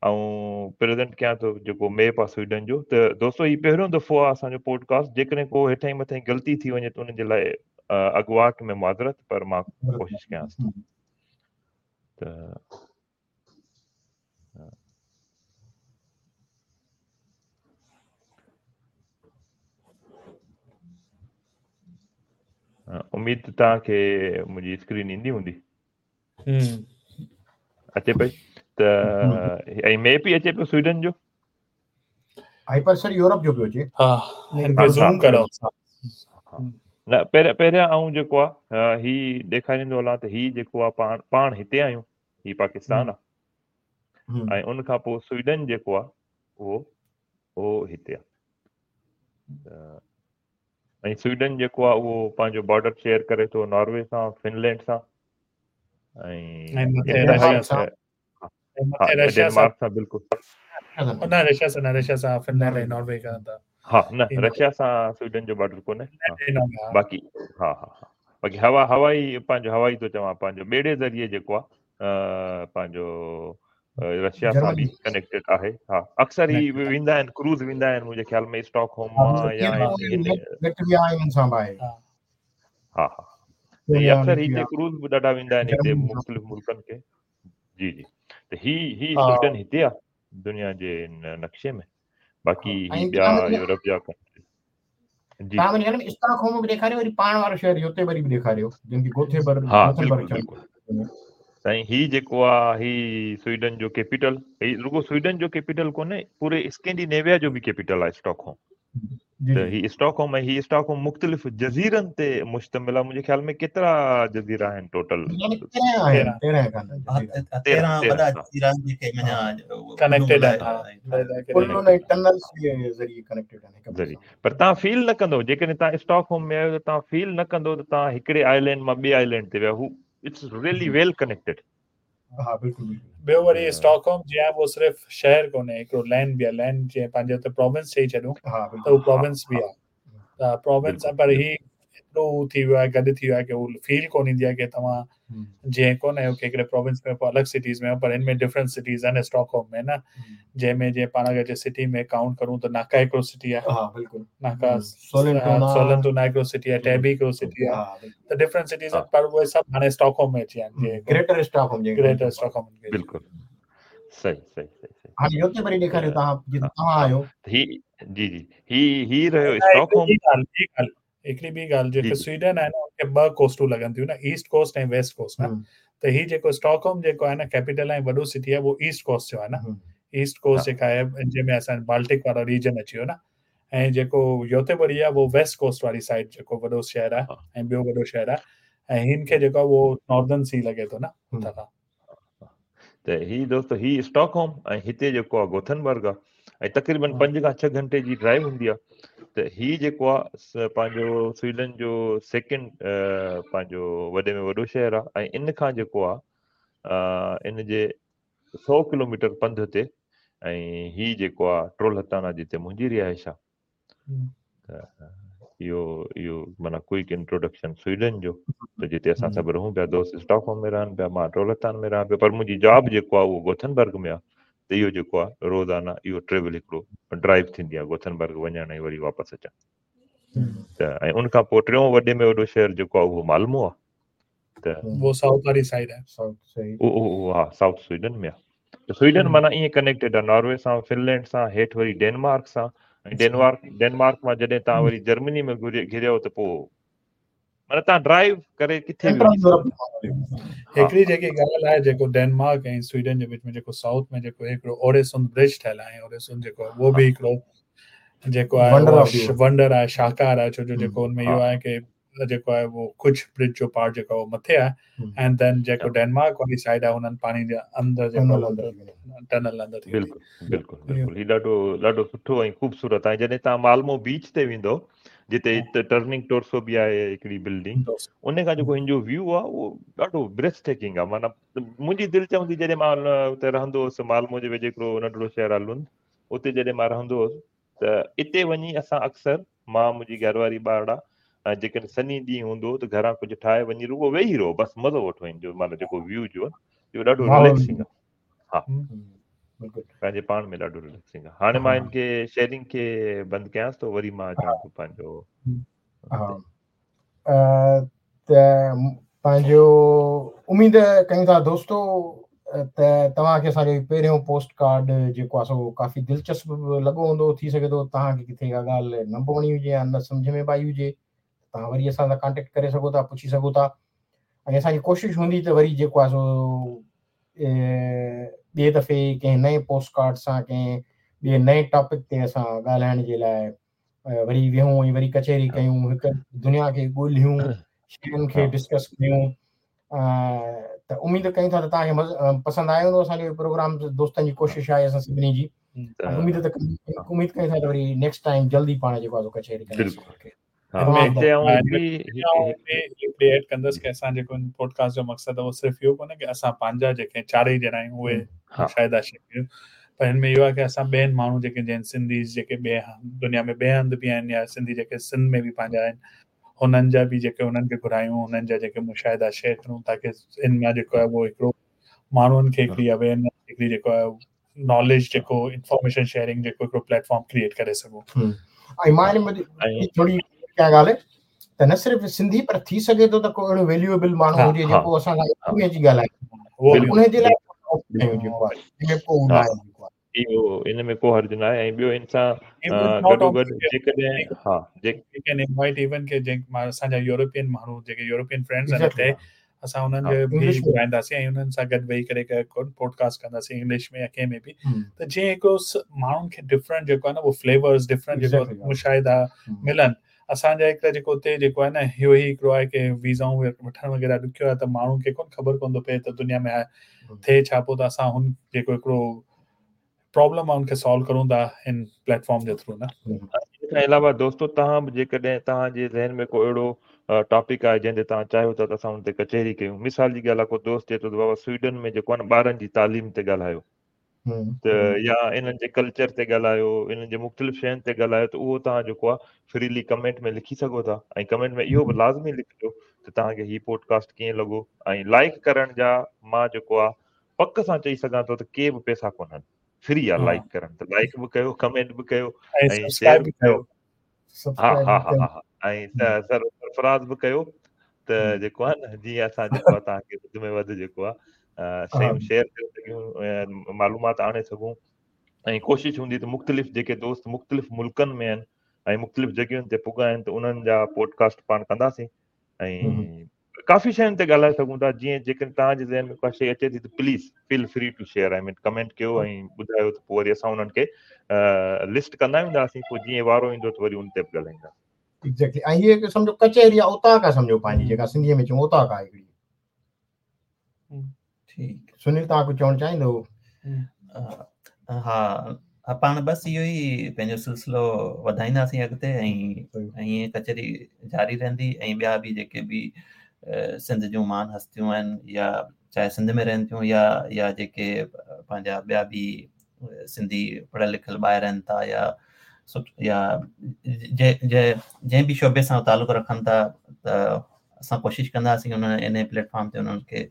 ऐं प्रेज़ेंट कयां थो जेको मैप आहे स्वीडन जो। त दोस्तो हीउ पहिरियों दफ़ो आहे असांजो पॉडकास्ट, जेकॾहिं को हेठां ई मथां ग़लती थी वञे त उनजे लाइ अॻुवाट में माज़रत, पर मां कोशिशि कयांसि थो। त उमेद तव्हांखे मुंहिंजी स्क्रीन ईंदी हूंदी, अचे पई त ऐं मैप ई अचे पियो स्वीडन जो, ऐं पर सर यूरोप जो पियो अचे। हा, हिनखे ज़ूम करो। न पहिरियां पहिरियां आउं जेको आहे हीउ ॾेखारींदो हलां त हीउ जेको आहे पाण पाण हिते आहियूं, हीउ पाकिस्तान आहे, ऐं उन खां पोइ स्वीडन जेको आहे उहो उहो हिते आहे। ऐं स्वीडन जेको आहे उहो पंहिंजो बॉर्डर शेयर करे थो नॉर्वे सां, फिनलैंड सां ऐं डेनमार्क सां। बिल्कुलु न रशिया सां, न रशिया सां, फिनलैंड ऐं नॉर्वे खां त हा, न रशिया सां स्वीडन जो बॉर्डर कोन्हे। बाक़ी हा हा हा, बाक़ी हवा हवाई पंहिंजो हवाई थो चवां, पंहिंजो ॿेड़े ज़रिए जेको आहे पंहिंजो रशिया सां बि कनेक्टेड आहे। हा, अक्सर ही वेंदा आहिनि, क्रूज़ वेंदा आहिनि मुंहिंजे ख़्याल में स्टॉकहोम मां या हा हा, अक्सर हिते क्रूज़ बि ॾाढा वेंदा आहिनि हिते मुख़्तलिफ़ मुल्कनि खे। जी जी, त ही ही स्वीडन हिते आहे दुनिया जे नक्शे में, बाक़ी ही ॿिया यूरोप जा जी। तव्हां मुंहिंजे ख़्याल में स्टॉकहोम बि ॾेखारियो, वरी पाण वारो शहर योतेबरी बि ॾेखारियो, जंहिंखे गोथेबर्ग हा बिल्कुलु बिल्कुलु साईं। ही जेको आहे ही स्वीडन जो कैपिटल, ही रुगो स्वीडन जो कैपिटल कोन्हे, पूरे स्कैंडिनेविया जो बि कैपिटल आहे स्टॉकहोम। त ही स्टॉकहोम ऐं ही स्टॉकहोम मुख़्तलिफ़ जज़ीरनि ते मुश्तमिल आहे। मुंहिंजे ख़्याल में केतिरा जज़ीरा आहिनि टोटल? ज़रिए। पर तव्हां फील न कंदव, जेकॾहिं तव्हां स्टॉकहोम में आहियो त तव्हां फील न कंदव त तव्हां हिकिड़े आइलैंड मां ॿिए आइलैंड ते विया। हू it's really well connected. हा बिल्कुलु बिल्कुलु। ॿियो वरी स्टॉकहोम जीअं उहो सिर्फ़ु शहर कोन्हे, हिकिड़ो लैंड बि आहे। लैंड जीअं पंहिंजे हुते प्रोविंस चई छॾूं त उहो प्रोविंस बि आहे, त प्रोविंस पर ही एतिरो थी वियो आहे, गॾु थी वियो आहे की उहो फील कोन ईंदी आहे की तव्हां जीअं कोन आहियो की हिकिड़े प्रोविंस में पोइ अलॻि सिटीज़ में, पर हिन में डिफरेंट सिटीज़ आहिनि स्टॉकहोम में न, जंहिंमें जीअं पाण अगरि सिटी में काउंट करूं त नाका हिकिड़ो सिटी आहे, नाका सोलंतुना हिकिड़ो सिटी आहे, टैबी हिकिड़ो सिटी आहे, त डिफरेंट सिटीज़ आहिनि, पर उहे सभु हाणे स्टॉकहोम में अची विया आहिनि, ग्रेटर स्टॉकहोम, ग्रेटर स्टॉकहोम। बिल्कुलु सही सही सही। हाणे योतेबरी ॾेखारियो तव्हां, जिते तव्हां आहियो। ही जी जी, ही ही रहियो स्टॉकहोम। हिकिड़ी ॿी ॻाल्हि, जेके स्वीडन आहे न, उनखे ॿ कोस्टूं लॻनि थियूं न, ईस्ट कोस्ट ऐं वेस्ट कोस्ट न। त ही जेको स्टॉकहोम जेको आहे न, कैपिटल ऐं वॾो सिटी आहे, उहो ईस्ट कोस्ट जो आहे न। ईस्ट कोस्ट जेका आहे जंहिंमें असां बाल्टिक वारो रीजन अची वियो न, ऐं जेको योतेबरी आहे उहो वेस्ट कोस्ट वारी साइड जेको वॾो शहर आहे ऐं ॿियो वॾो शहर आहे, ऐं हिन खे जेको आहे उहो नॉर्दर्न सी लॻे थो न हुतां खां। त ही दोस्त ही स्टॉकहोम ऐं हिते जेको आहे गोथनबर्ग आहे, ऐं तक़रीबन पंज खां छह घंटे जी ड्राइव हूंदी आहे। त ही जेको आहे पंहिंजो स्वीडन जो सेकंड पंहिंजो वॾे में वॾो शहर आहे, ऐं इन खां जेको आहे इन जे सौ किलोमीटर पंध ते, ऐं ही जेको आहे ट्रोलहताना जिते मुंहिंजी रिहाइश आहे। त इहो इहो माना क्विक इंट्रोडक्शन स्वीडन जो, त जिते असां सभु रहूं पिया, दोस्त स्टॉकहोम में रहनि पिया, मां ट्रोलहतान में रहां पियो, पर मुंहिंजी जॉब जेको आहे उहो गोथनबर्ग में आहे। त इहो जेको आहे रोज़ाना इहो ट्रेवल हिकिड़ो ड्राइव थींदी आहे गोथनबर्ग वञण ऐं वरी वापसि अचण। त ऐं उन खां पोइ टियों वॾे में वॾो शहर जेको आहे उहो माल्मो आहे। त उहो साउथ वारी साइड आहे, उहो हा साउथ स्वीडन में आहे। त स्वीडन माना ईअं कनेक्टेड आहे नॉर्वे सां, फिनलैंड सां, हेठि वरी डेनमार्क सां, ऐं डेनमार्क डेनमार्क मां जॾहिं तव्हां वरी जर्मनी में घिरियो त पोइ माना तव्हां ड्राइव करे किथे बि वञी सघो था। हिकिड़ी जेकी ॻाल्हि आहे जेको डेनमार्क ऐं स्वीडन जे विच में जेको साउथ में जेको हिकिड़ो ओरेसुंड ब्रिज ठहियल आहे, ओरेसुंड जेको उहो बि हिकिड़ो जेको आहे वंडर आहे, शाहकार आहे, छो जो जेको हुन में इहो आहे की जेको आहे उहो कुझु ब्रिज जो पार्ट जेको आहे मथे आहे, एंड then जेको डेनमार्क वारी साइड आहे हुननि पाणी जे अंदरि जेको टनल अंदरि थी। बिल्कुलु बिल्कुलु बिल्कुलु, ही ॾाढो ॾाढो सुठो ऐं ख़ूबसूरत आहे। जॾहिं तव्हां माल्मो बीच ते वेंदव, जिते टर्निंग टोर्सो बि आहे हिकिड़ी बिल्डिंग, उन खां जेको हिन जो व्यू आहे उहो ॾाढो ब्रेथ टेकिंग आहे। माना मुंहिंजी दिलि चवंदी, जॾहिं मां उते रहंदो हुउसि, माल्मो जे वेझो हिकिड़ो नंढड़ो शहर आहे लुंद, उते जॾहिं मां रहंदो हुउसि त इते वञी असां अक्सर मां मुंहिंजी घरवारी ॿारड़ा, ऐं जेकॾहिं सनी ॾींहुं हूंदो त घरां कुझु ठाहे वञी रुगो वेही रहो, बसि मज़ो वठो हिन जो, माना जेको व्यू जो आहे इहो ॾाढो रिलैक्सिंग आहे। हा, पंहिंजे पाण में ॾाढो रिलैक्सिंग आहे। हाणे मां हिन खे शेयरिंग खे बंदि कयांसि थो, वरी मां अचां थो पंहिंजो। हा, त पंहिंजो उमेद कयूं था दोस्तो त तव्हांखे असांजो पहिरियों पोस्ट कार्ड जेको आहे सो काफ़ी दिलचस्प लॻो हूंदो। थी सघे थो तव्हांखे किथे का ॻाल्हि न बि वणी हुजे या न सम्झ में बि आई हुजे, तव्हां वरी असां सां कॉन्टेक्ट करे सघो था, पुछी सघो था, ऐं असांजी कोशिशि हूंदी त वरी जेको आहे सो ॿिए दफ़े कंहिं नए पोस्ट कार्ड सां, कंहिं ॿिए नए टॉपिक ते असां ॻाल्हाइण जे लाइ वरी वेहूं ऐं वरी कचहरी कयूं, हिकु दुनिया खे ॻोल्हियूं, शयुनि खे डिस्कस कयूं। त उमेद कयूं था त तव्हांखे मज़ो पसंदि आयो हूंदो असांजो प्रोग्राम। दोस्तनि जी कोशिशि आहे असां सभिनी जी, उमेद त उमेद कयूं था त वरी नेक्स्ट टाइम जल्दी पाण जेको आहे कचहरी कंदासीं। एड कंदसि की असां जेको पॉडकास्ट जो मक़सदु आहे उहो सिर्फ़ु इहो कोन्हे की असां पंहिंजा जेके चारई ॼणा आहियूं उहे मुशाहिदा शेयर कयूं, पर हिन में इहो आहे की असां ॿियनि माण्हू जेके जंहिं सिंधी जेके ॿिए दुनिया में ॿिए हंधि बि आहिनि या सिंधी जेके सिंध में बि पंहिंजा आहिनि, हुननि जा बि जेके हुननि खे घुरायूं, हुननि जा जेके मुशाहिदा शेयर करूं, ताकी इन मां जेको आहे उहो हिकिड़ो माण्हुनि खे हिकिड़ी अवेयरनेस, हिकिड़ी जेको आहे नॉलेज, जेको इंफॉर्मेशन शेयरिंग जेको हिकिड़ो प्लेटफॉर्म क्रिएट करे सघूं। ऐं मां हिन में थोरी क्या ॻाल्हि त न सिर्फ़ सिंधी पर थी सघे थो त को अहिड़ो वैल्यूएबल माण्हू हुजे जेको असां सां में अची ॻाल्हाए, उन जे लाइ जेको आहे जंहिंमें को न आहे जेको आहे इहो इन में को हर्ज न आहे। ऐं ॿियो इन सां गॾोगॾु जेकॾहिं हा we can invite even के जंहिं असांजा यूरोपियन माण्हू जेके यूरोपियन फ्रेंड्स आहिनि हिते, असां उन्हनि खे बि घुराईंदासीं ऐं उन्हनि सां गॾु वेही करे पॉडकास्ट कंदासीं इंग्लिश में या कंहिं में बि, त जीअं हिकिड़ो माण्हुनि खे डिफरेंट जेको आहे न उहो फ्लेवर्स, डिफरेंट जेको मुशाहिदा मिलनि। असांजा हिकिड़ा जेको हुते जेको आहे न इहो ई हिकिड़ो आहे की वीज़ाऊं वठणु वग़ैरह ॾुखियो आहे, त माण्हुनि खे कोन ख़बर कोन थो पए त दुनिया में थिए छा पोइ, त असां हुन जेको हिकिड़ो प्रॉब्लम आहे उनखे सॉल्व करूं था हिन प्लेटफॉर्म जे थ्रू न। इन खां अलावा दोस्तो तव्हां बि जेकॾहिं तव्हांजे ज़हन में को अहिड़ो टॉपिक आहे जंहिं ते तव्हां चाहियो था त असां हुन ते कचहरी कयूं, मिसाल जी ॻाल्हि आहे को दोस्त चए थो त बाबा स्वीडन में जेको आहे न ॿारनि जी तालीम ते ॻाल्हायो त या इन्हनि जे कल्चर ते ॻाल्हायो, इन्हनि जे मुख़्तलिफ़ शयुनि ते ॻाल्हायो, त उहो तव्हां जेको आहे फ्रीली कमेंट में लिखी सघो था। ऐं कमेंट में इहो बि लाज़मी लिखिजो त तव्हांखे हीउ पॉडकास्ट कीअं लॻो। ऐं लाइक करण जा मां जेको आहे पक सां चई सघां थो त के बि पैसा कोन्हनि, फ्री आहे लाइक करण, त लाइक बि कयो, कमेंट बि कयो ऐं शेयर बि कयो। हा हा हा हा ऐं सर सरफराज़ बि कयो त जेको आहे न जीअं असां जेको आहे तव्हांखे वधि में वधि जेको आहे शयूं शेयर करे सघूं, मालूमात आणे सघूं। ऐं कोशिश हूंदी त मुख़्तलिफ़ जेके दोस्त मुख़्तलिफ़ मुल्कनि में आहिनि ऐं मुख़्तलिफ़ जॻहियुनि ते पुॻा आहिनि त उन्हनि जा पॉडकास्ट पाण कंदासीं ऐं काफ़ी शयुनि ते ॻाल्हाए सघूं था। जीअं जेकॾहिं तव्हांजे ज़हन में का शइ अचे थी त please feel free to share, I mean comment कयो ऐं ॿुधायो त पोइ वरी असां उन्हनि खे लिस्ट कंदा वेंदासीं, पोइ जीअं वारो ईंदो त वरी उन ते बि ॻाल्हाईंदासीं। एग्जैक्टली। ऐं हीअ सम्झो कचहरी आहे, औताक आहे सम्झो पंहिंजी जेका सिंधीअ में चऊं औताक आहे हिकिड़ी। ठीकु सुनील, तव्हां कुझु चवणु चाहींदो? हा हा, पाण बसि इहो ई पंहिंजो सिलसिलो वधाईंदासीं अॻिते ऐं ईअं कचहरी जारी रहंदी। ऐं ॿिया बि जेके बि सिंध जूं महान हस्तियूं आहिनि या चाहे सिंध में रहनि थियूं या या जेके पंहिंजा ॿिया बि सिंधी पढ़ियल लिखियल ॿाहिरि रहनि था या या जंहिं बि शोबे सां तालुक़ु रखनि था, त असां कोशिशि कंदासीं उन इन प्लेटफॉर्म ते उन्हनि खे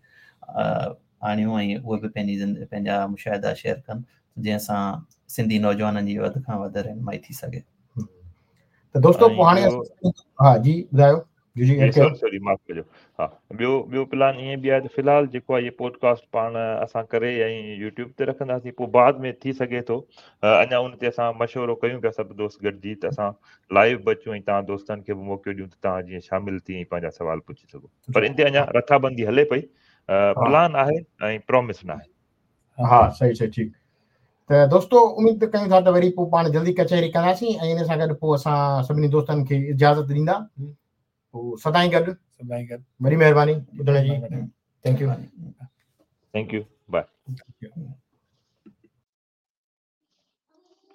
आणियूं ऐं उहे बि पंहिंजी पंहिंजा मुशाहिदा शेयर कनि, जंहिंसां सिंधी नौजवाननि जी वधि खां वधि रहनुमाई थी सघे। त दोस्तो पोइ हाणे हा जी ॿुधायो। जी जी सॉरी सॉरी माफ़ कजो। हा ॿियो ॿियो प्लान ईअं बि आहे त फ़िलहालु जेको आहे इहे पॉडकास्ट पाण असां करे ऐं यूट्यूब ते रखंदासीं, पोइ बाद में थी सघे थो अञा उन ते असां मशवरो कयूं पिया सभु दोस्त गॾिजी त असां लाइव बि अचूं ऐं तव्हां दोस्तनि खे बि मौक़ो ॾियूं त तव्हां जीअं शामिल थी ऐं पंहिंजा सवाल पुछी सघो। पर इन ते अञा रथाबंदी हले पई, प्लान आहे ऐं प्रॉमिस न आहे। हा सही सही ठीकु। त दोस्तो उमेद कयूं था त वरी पोइ पाण जल्दी कचहरी कंदासीं ऐं इन सां गॾु पोइ असां सभिनी दोस्तनि खे इजाज़त ॾींदा। पोइ सदाईं गॾु सदाईं गॾु। वॾी महिरबानी ॿुधण जी। Thank you. Thank you, bye.